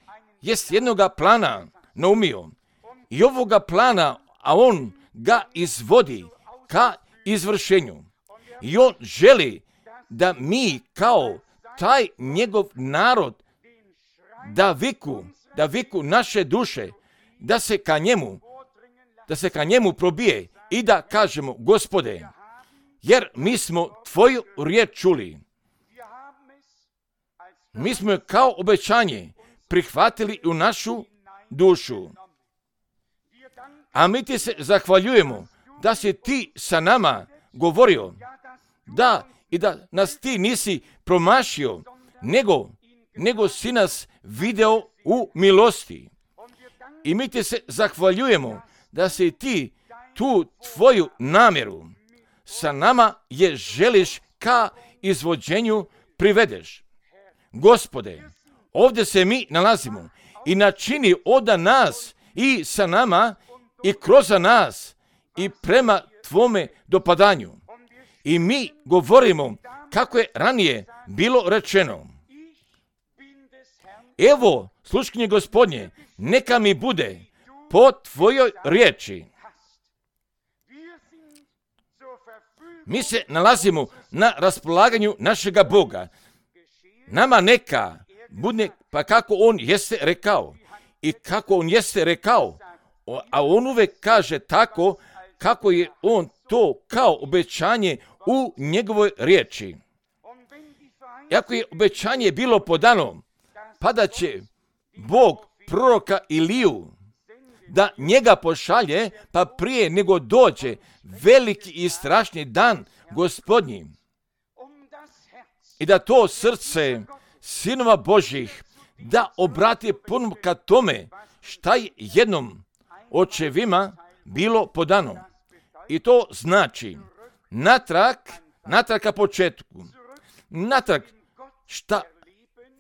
Speaker 1: je s jednoga plana naumio i ovoga plana, a On ga izvodi ka izvršenju. I On želi da mi kao taj njegov narod da viku, da viku naše duše, da se ka njemu, da se ka njemu probije i da kažemo, Gospode, jer mi smo tvoju riječ čuli. Mi smo je kao obećanje prihvatili u našu dušu. A mi ti se zahvaljujemo da si ti sa nama govorio, da i da nas ti nisi promašio, nego, nego si nas video u milosti. I mi ti se zahvaljujemo da si ti tu tvoju namjeru sa nama je želiš ka izvođenju privedeš. Gospode, ovdje se mi nalazimo i načini od nas i sa nama i kroz nas i prema tvome dopadanju. I mi govorimo kako je ranije bilo rečeno. Evo, sluškinje Gospodnje, neka mi bude po tvojoj riječi. Mi se nalazimo na raspolaganju našega Boga. Nama neka bude pa kako On jeste rekao. I kako On jeste rekao, a On uvek kaže tako kako je On to kao obećanje u njegovoj riječi. Iako je obećanje bilo podano, pa da će Bog proroka Iliju da njega pošalje, pa prije nego dođe veliki i strašni dan Gospodnji. I da to srce sinova Božih da obrati puno ka tome šta je jednom očevima bilo podano. I to znači natrag, natrag ka početku, natrag šta,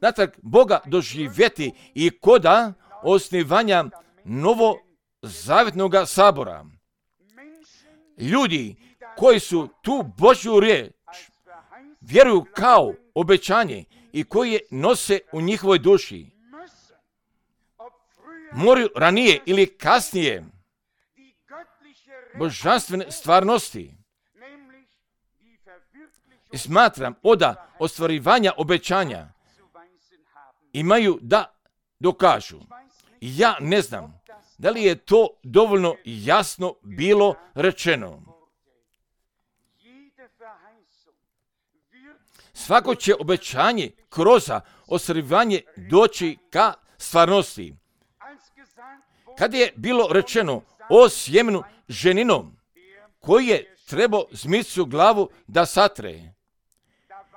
Speaker 1: natrag Boga doživjeti i koda osnivanja novozavjetnog sabora. Ljudi koji su tu Božju riječ vjeruju kao obećanje i koji je nose u njihovoj duši, moraju ranije ili kasnije božanstvene stvarnosti. I smatram oda ostvarivanja obećanja imaju da dokažu. Ja ne znam da li je to dovoljno jasno bilo rečeno. Svako će obećanje kroz ostvarivanje doći ka stvarnosti. Kad je bilo rečeno o sjemenu ženinom, koji je trebao zmicu glavu da satre,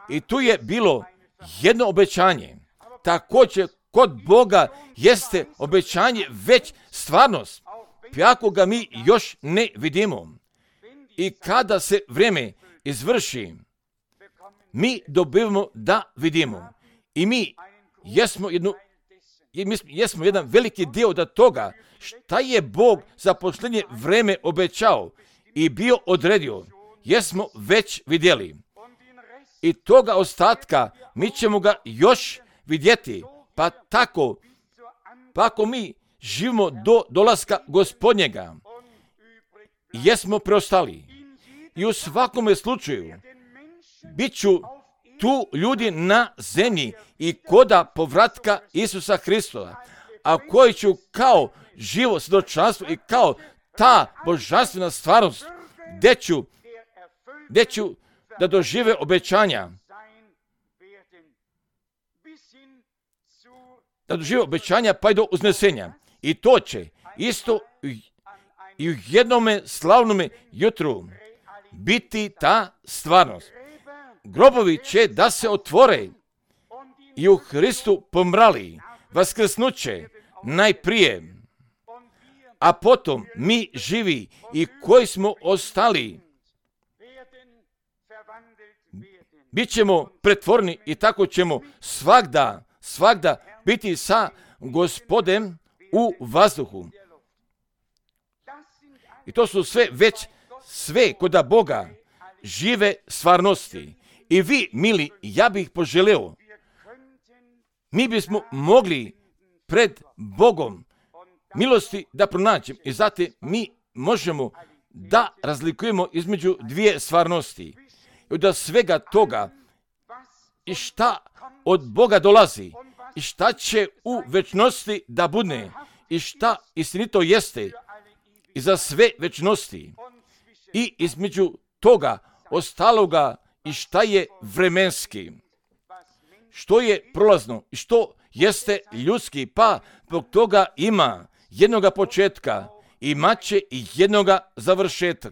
Speaker 1: i tu je bilo jedno obećanje. Također kod Boga jeste obećanje već stvarnost, ako ga mi još ne vidimo. I kada se vrijeme izvrši, mi dobivamo da vidimo. I mi jesmo, jednu, mi jesmo jedan veliki dio od toga šta je Bog za posljednje vrijeme obećao i bio odredio. Jesmo već vidjeli. I toga ostatka mi ćemo ga još vidjeti. Pa tako, pa ako mi živimo do dolaska Gospodnjega, jesmo preostali. I u svakome slučaju bit ću tu ljudi na zemlji i koda povratka Isusa Hristova, a koji ću kao živo svjedočanstvo i kao ta božanstvena stvarnost, gdje ću, gdje ću da dožive obećanja, da dožive obećanja pa i do uznesenja. I to će isto i u jednome slavnome jutru biti ta stvarnost. Grobovi će da se otvore i u Hristu pomrali vaskrsnuće najprije, a potom mi živi i koji smo ostali bit ćemo pretvorni i tako ćemo svagda, svagda biti sa Gospodem u vazduhu. I to su sve već sve koda Boga žive stvarnosti. I vi, mili, ja bih poželeo, mi bismo mogli pred Bogom milosti da pronađemo i zatim mi možemo da razlikujemo između dvije stvarnosti. I od svega toga i šta od Boga dolazi i šta će u večnosti da bude i šta istinito jeste i za sve večnosti i između toga ostaloga i šta je vremenski, što je prolazno i što jeste ljudski, pa zbog toga ima jednoga početka, imat će i jednoga završetka.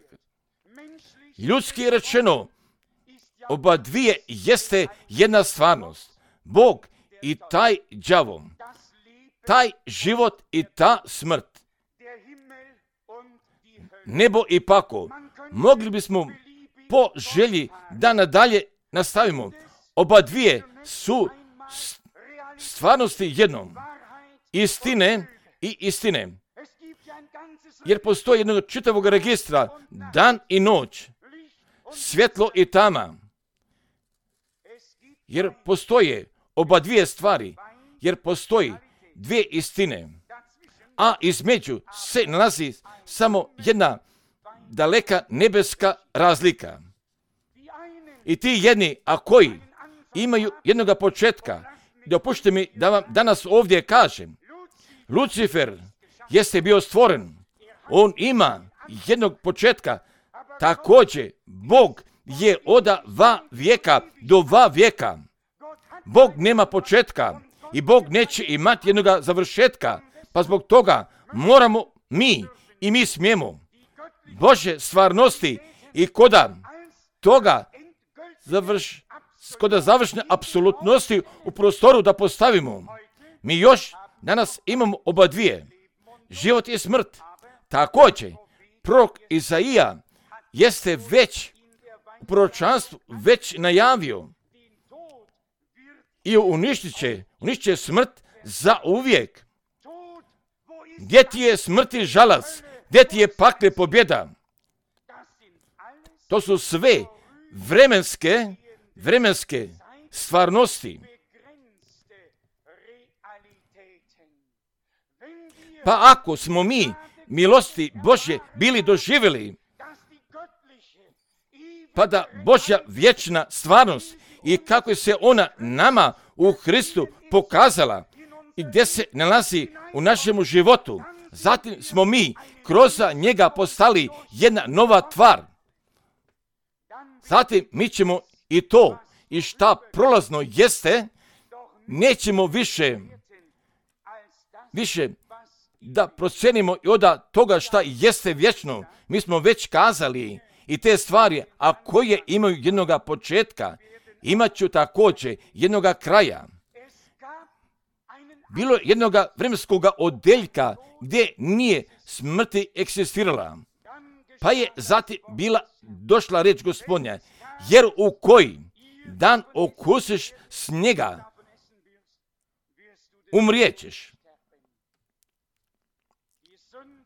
Speaker 1: Ljudski rečeno, oba dvije jeste jedna stvarnost. Bog i taj đavo, taj život i ta smrt, nebo i pakao. Mogli bismo po želji da nadalje nastavimo. Oba dvije su stvarnosti jednom. Istine i istine. Jer postoji jednog čitavog registra, dan i noć, svjetlo i tama. Jer postoje oba dvije stvari, jer postoji dvije istine, a između se nalazi samo jedna daleka nebeska razlika. I ti jedni, a koji imaju jednoga početka, dopustite mi da vam danas ovdje kažem, Lucifer jeste bio stvoren, on ima jednog početka, također Bog je od va vijeka do va vijeka. Bog nema početka i Bog neće imati jednoga završetka, pa zbog toga moramo mi i mi smijemo Božje stvarnosti i koda toga završ, koda završne apsolutnosti u prostoru da postavimo. Mi još danas imamo oba dvije, život i smrt. Također, prorok Izaija jeste već u proročanstvu već najavio i uništit će, uništit će smrt za uvijek. Gdje ti je smrti žalac, gdje ti je pakle pobjeda? To su sve vremenske, vremenske stvarnosti. Pa ako smo mi milosti Božje bili doživjeli, pa da Božja vječna stvarnost i kako se ona nama u Hristu pokazala i gdje se nalazi u našemu životu, zatim smo mi kroz njega postali jedna nova tvar. Zatim mi ćemo i to i šta prolazno jeste, nećemo više, više da procenimo i od toga šta jeste vječno. Mi smo već kazali i te stvari, a koje imaju jednoga početka, imat ću također jednoga kraja. Bilo je jednoga vremenskoga odeljka gdje nije smrti eksistirala. Pa je zatim bila došla reč Gospodnja, jer u koji dan okusiš snijega, umrijećeš.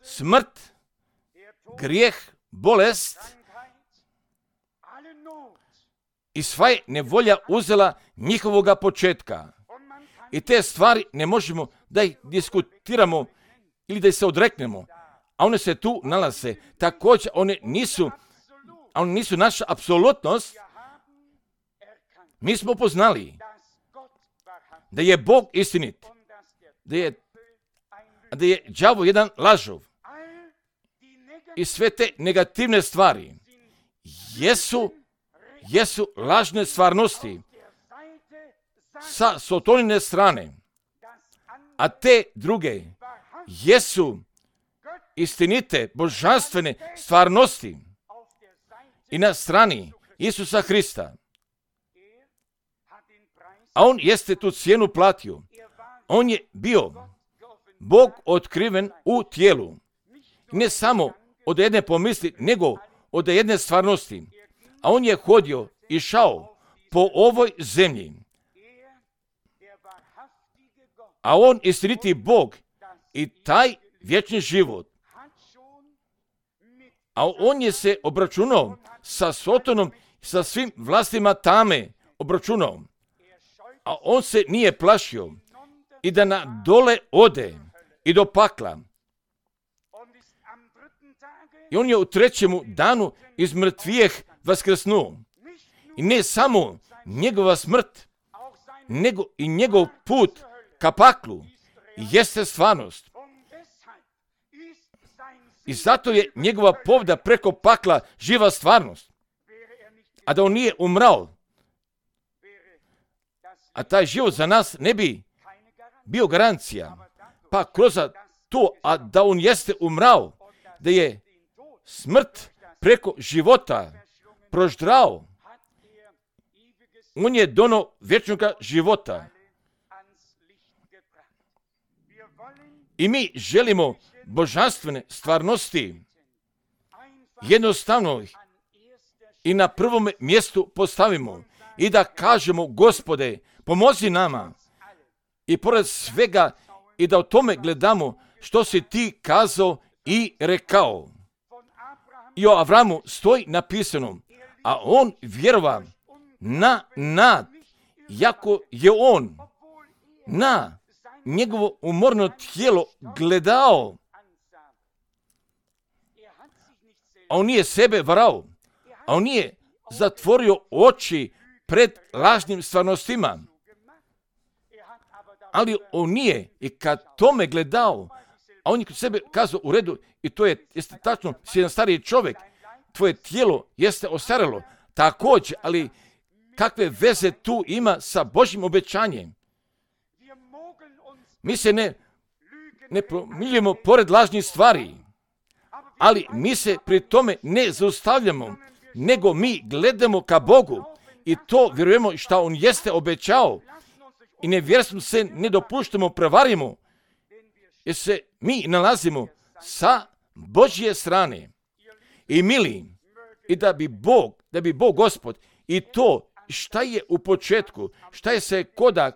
Speaker 1: Smrt, grijeh, bolest i sva je nevolja uzela njihovoga početka. I te stvari ne možemo da ih diskutiramo ili da ih se odreknemo. A one se tu nalaze. Također one nisu, one nisu naša apsolutnost. Mi smo poznali da je Bog istinit, da je, da je đavo jedan lažov. I sve te negativne stvari jesu, jesu lažne stvarnosti sa sotonine strane, a te druge jesu istinite, božanstvene stvarnosti i na strani Isusa Hrista. A on jeste tu cijenu platio. On je bio Bog otkriven u tijelu. Ne samo od jedne pomisli, nego od jedne stvarnosti. A on je hodio i šao po ovoj zemlji. A on istiniti Bog i taj vječni život. A on je se obračunao sa Sotonom, sa svim vlastima tame obračunao. A on se nije plašio i da na dole ode i do pakla. I on je u trećemu danu iz mrtvijeh vaskrsnuo. I ne samo njegova smrt, nego i njegov put ka paklu jeste stvarnost. I zato je njegova povda preko pakla živa stvarnost. A da on nije umrao, a taj život za nas ne bi bio garancija. Pa kroz to, a da on jeste umrao, da je smrt preko života proždrao, on je dono vječnog života. I mi želimo božanstvene stvarnosti jednostavno i na prvom mjestu postavimo i da kažemo, Gospode, pomozi nama i pored svega i da o tome gledamo što si ti kazao i rekao. I o Avramu stoji napisano, a on vjerova na nad, jako je on na njegovo umorno tijelo gledao. A on nije sebe varao, a on nije zatvorio oči pred lažnim stvarnostima. Ali on nije i kad tome gledao, a on je kod sebe kazao u redu, i to je, jeste tačno, si jedan stariji čovjek, tvoje tijelo jeste ostarelo, također, ali kakve veze tu ima sa Božjim obećanjem? Mi se ne, ne promiljujemo pored lažnih stvari, ali mi se pri tome ne zaustavljamo, nego mi gledamo ka Bogu i to vjerujemo što on jeste obećao i nevjerstvom se ne dopuštamo, prevarimo, jer se mi nalazimo sa Božje strane. I mili, i da bi Bog, da bi Bog Gospod i to šta je u početku, šta je se koda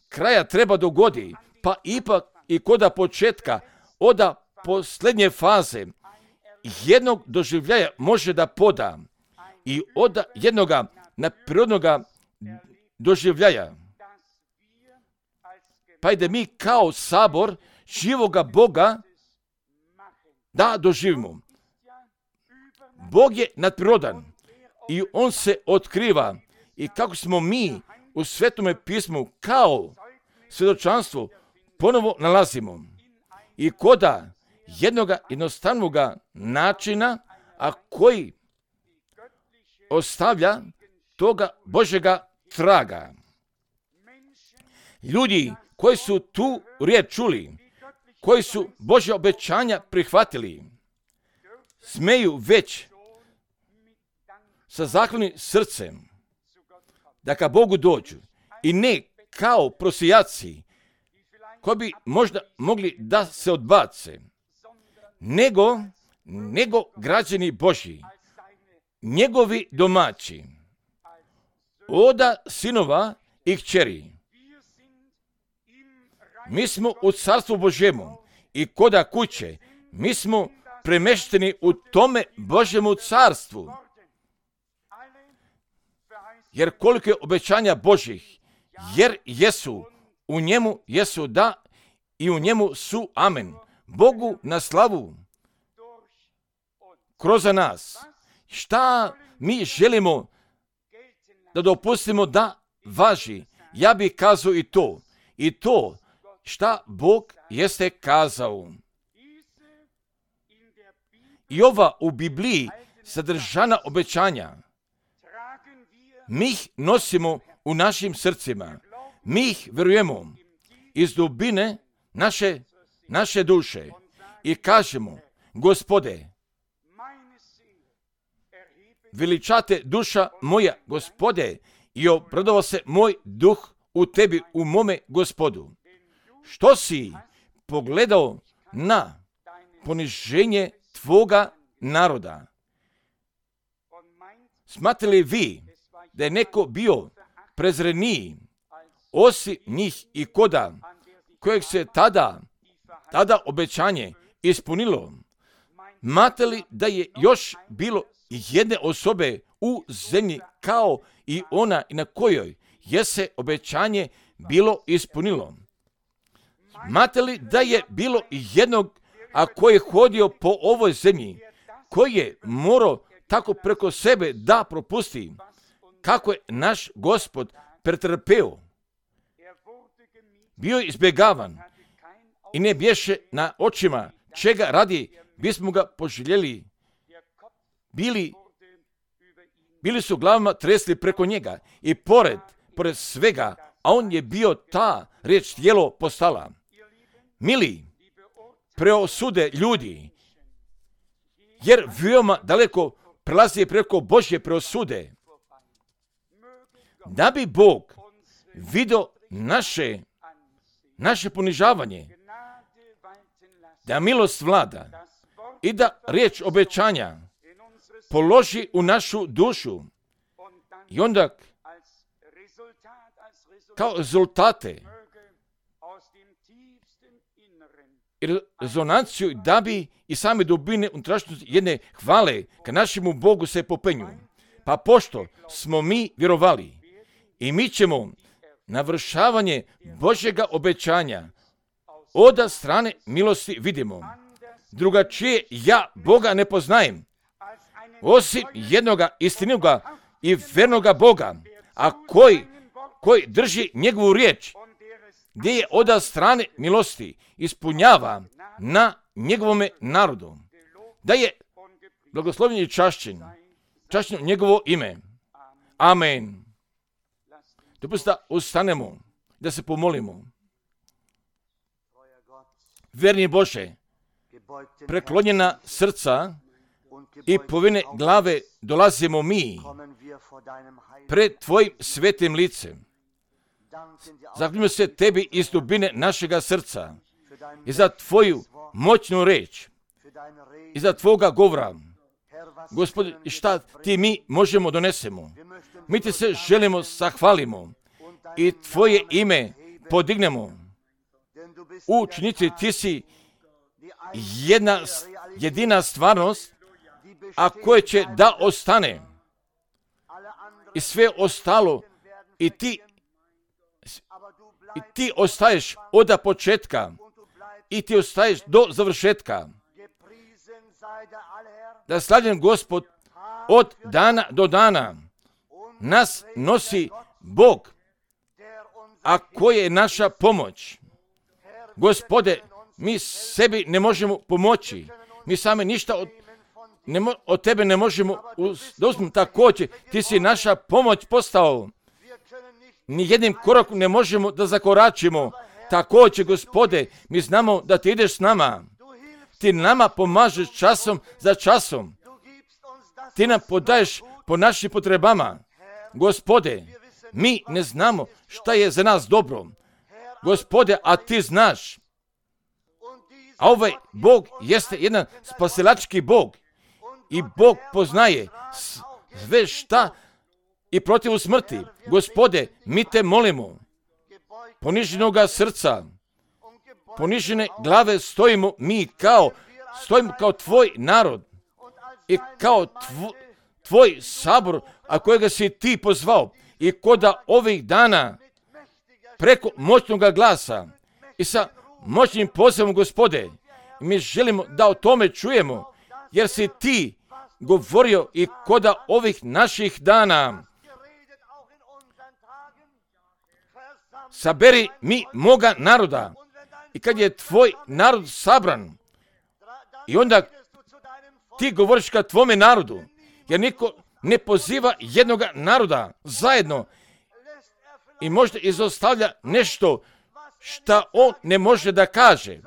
Speaker 1: kraja treba dogodi, pa ipak i koda početka, oda posljednje faze, jednog doživljaja može da poda i od jednoga neprirodnoga doživljaja. Pa i da mi kao sabor živoga Boga da doživimo. Bog je nadprirodan i on se otkriva i kako smo mi u Svetome pismu kao svjedočanstvo ponovo nalazimo i koda jednoga jednostavnoga načina, a koji ostavlja toga Božjega traga. Ljudi koji su tu riječ čuli, koji su Božja obećanja prihvatili, smeju već sa zahvalnim srcem da ka Bogu dođu i ne kao prosijaci koji bi možda mogli da se odbace, nego, nego građani Božji, njegovi domaći, oda sinova i kćeri. Mi smo u carstvu Božjemu i koda kuće, mi smo premešteni u tome Božjemu carstvu. Jer koliko je obećanja Božjih, jer jesu, u njemu jesu da i u njemu su amen. Bogu na slavu kroz nas. Šta mi želimo da dopustimo da važi? Ja bih kazao i to. I to šta Bog jeste kazao. I ova u Bibliji sadržana obećanja, mi ih nosimo u našim srcima. Mi ih vjerujemo iz dubine naše, naše duše i kažemo, Gospode, veličate duša moja, Gospode, i obradovao se moj duh u tebi, u mome Gospodu. Što si pogledao na poniženje tvoga naroda? Smatrate li vi da je neko bio prezreniji osim njih i koda kojeg se tada, tada obećanje ispunilo? Smatrate li da je još bilo jedne osobe u zemlji kao i ona na kojoj je se obećanje bilo ispunilo? Smatrate li da je bilo jednog, a koji je hodio po ovoj zemlji, koji je morao tako preko sebe da propusti, kako je naš Gospod pretrpeo? Bio je izbjegavan i ne bješe na očima, čega radi bismo ga poželjeli. Bili, bili su glavama tresli preko njega i pored, pored svega, a on je bio ta riječ tijelo postala. Mili, preosude ljudi, jer veoma daleko prelazi preko Božje preosude. Da bi Bog vidio naše, naše ponižavanje, da milost vlada i da riječ obećanja položi u našu dušu i onda kao rezultate i rezonanciju da bi i same dubine unutrašnjosti jedne hvale ka našemu Bogu se popenju. Pa pošto smo mi vjerovali i mi ćemo navršavanje Božjega obećanja od strane milosti vidimo. Drugačije ja Boga ne poznajem, osim jednoga istinoga i vernoga Boga, a koji, koji drži njegovu riječ, gdje je od strane milosti ispunjava na njegovome narodu. Da je blagoslovljen i čašćen, čašćen njegovo ime. Amen. Dopustite da ustanemo, da se pomolimo. Verni Bože, preklonjena srca i povine glave dolazimo mi pred Tvojim svetim licem. Zahvaljujemo se Tebi iz dubine našega srca i za Tvoju moćnu reč i za Tvoga govora. Gospod, šta Ti mi možemo donesemo? Mi Ti se želimo zahvalimo i Tvoje ime podignemo. U činjici Ti si jedna, jedina stvarnost, a koje će da ostane. I sve ostalo i ti i ti ostaješ od početka i ti ostaješ do završetka. Da slavljen Gospod od dana do dana nas nosi Bog, a koja je naša pomoć. Gospode, mi sebi ne možemo pomoći. Mi sami ništa od, ne mo, od Tebe ne možemo uz, da uzmemo također. Ti si naša pomoć postao. ni jednim korakom ne možemo da zakoračimo. Također, Gospode, mi znamo da ti ideš s nama. Ti nama pomažeš časom za časom. Ti nam podaješ po našim potrebama. Gospode, mi ne znamo šta je za nas dobro. Gospode, a ti znaš. A ovaj Bog jeste jedan spasilački Bog. I Bog poznaje sve šta i protiv smrti. Gospode, mi te molimo. Poniženoga srca, ponižene glave stojimo mi kao, stojimo kao tvoj narod i kao tvo, tvoj sabor, a kojega si ti pozvao i koda ovih dana preko moćnog glasa i sa moćnim pozivom, Gospode, mi želimo da o tome čujemo, jer si ti govorio i koda ovih naših dana. Saberi mi moga naroda. I kad je tvoj narod sabran, i onda ti govoriš ka tvome narodu, jer niko ne poziva jednog naroda zajedno i možda izostavlja nešto šta on ne može da kaže,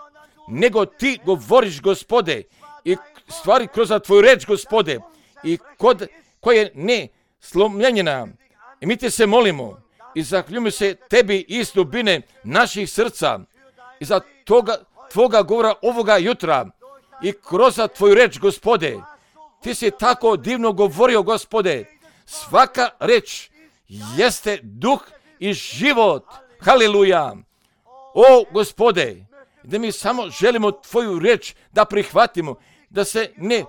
Speaker 1: nego ti govoriš, Gospode, i stvari kroz tvoju reč, Gospode, i kod koje ne slomljenjena. I mi te se molimo i zahvaljujemo se tebi iz dubine naših srca i za toga tvoga govora ovoga jutra i kroz tvoju reč, Gospode. Ti si tako divno govorio, Gospode. Svaka reč jeste duh i život. Haleluja. O, Gospode, da mi samo želimo tvoju reč da prihvatimo, da se ne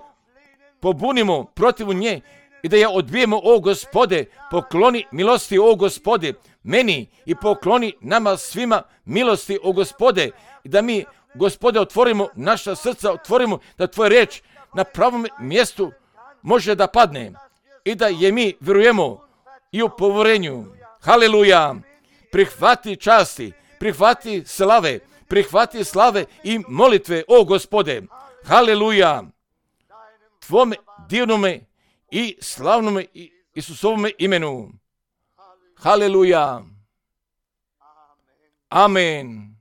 Speaker 1: pobunimo protiv nje i da je odbijemo, o Gospode. Pokloni milosti, o Gospode, meni i pokloni nama svima milosti, o Gospode, i da mi, Gospode, otvorimo naša srca, otvorimo da tvoja reč na pravom mjestu može da padne i da je mi vjerujemo i u povorenju. Haleluja. Prihvati časti, prihvati slave, prihvati slave i molitve, o Gospode. Haleluja. Tvome divnome i slavnome Isusovome imenu. Haleluja. Amen.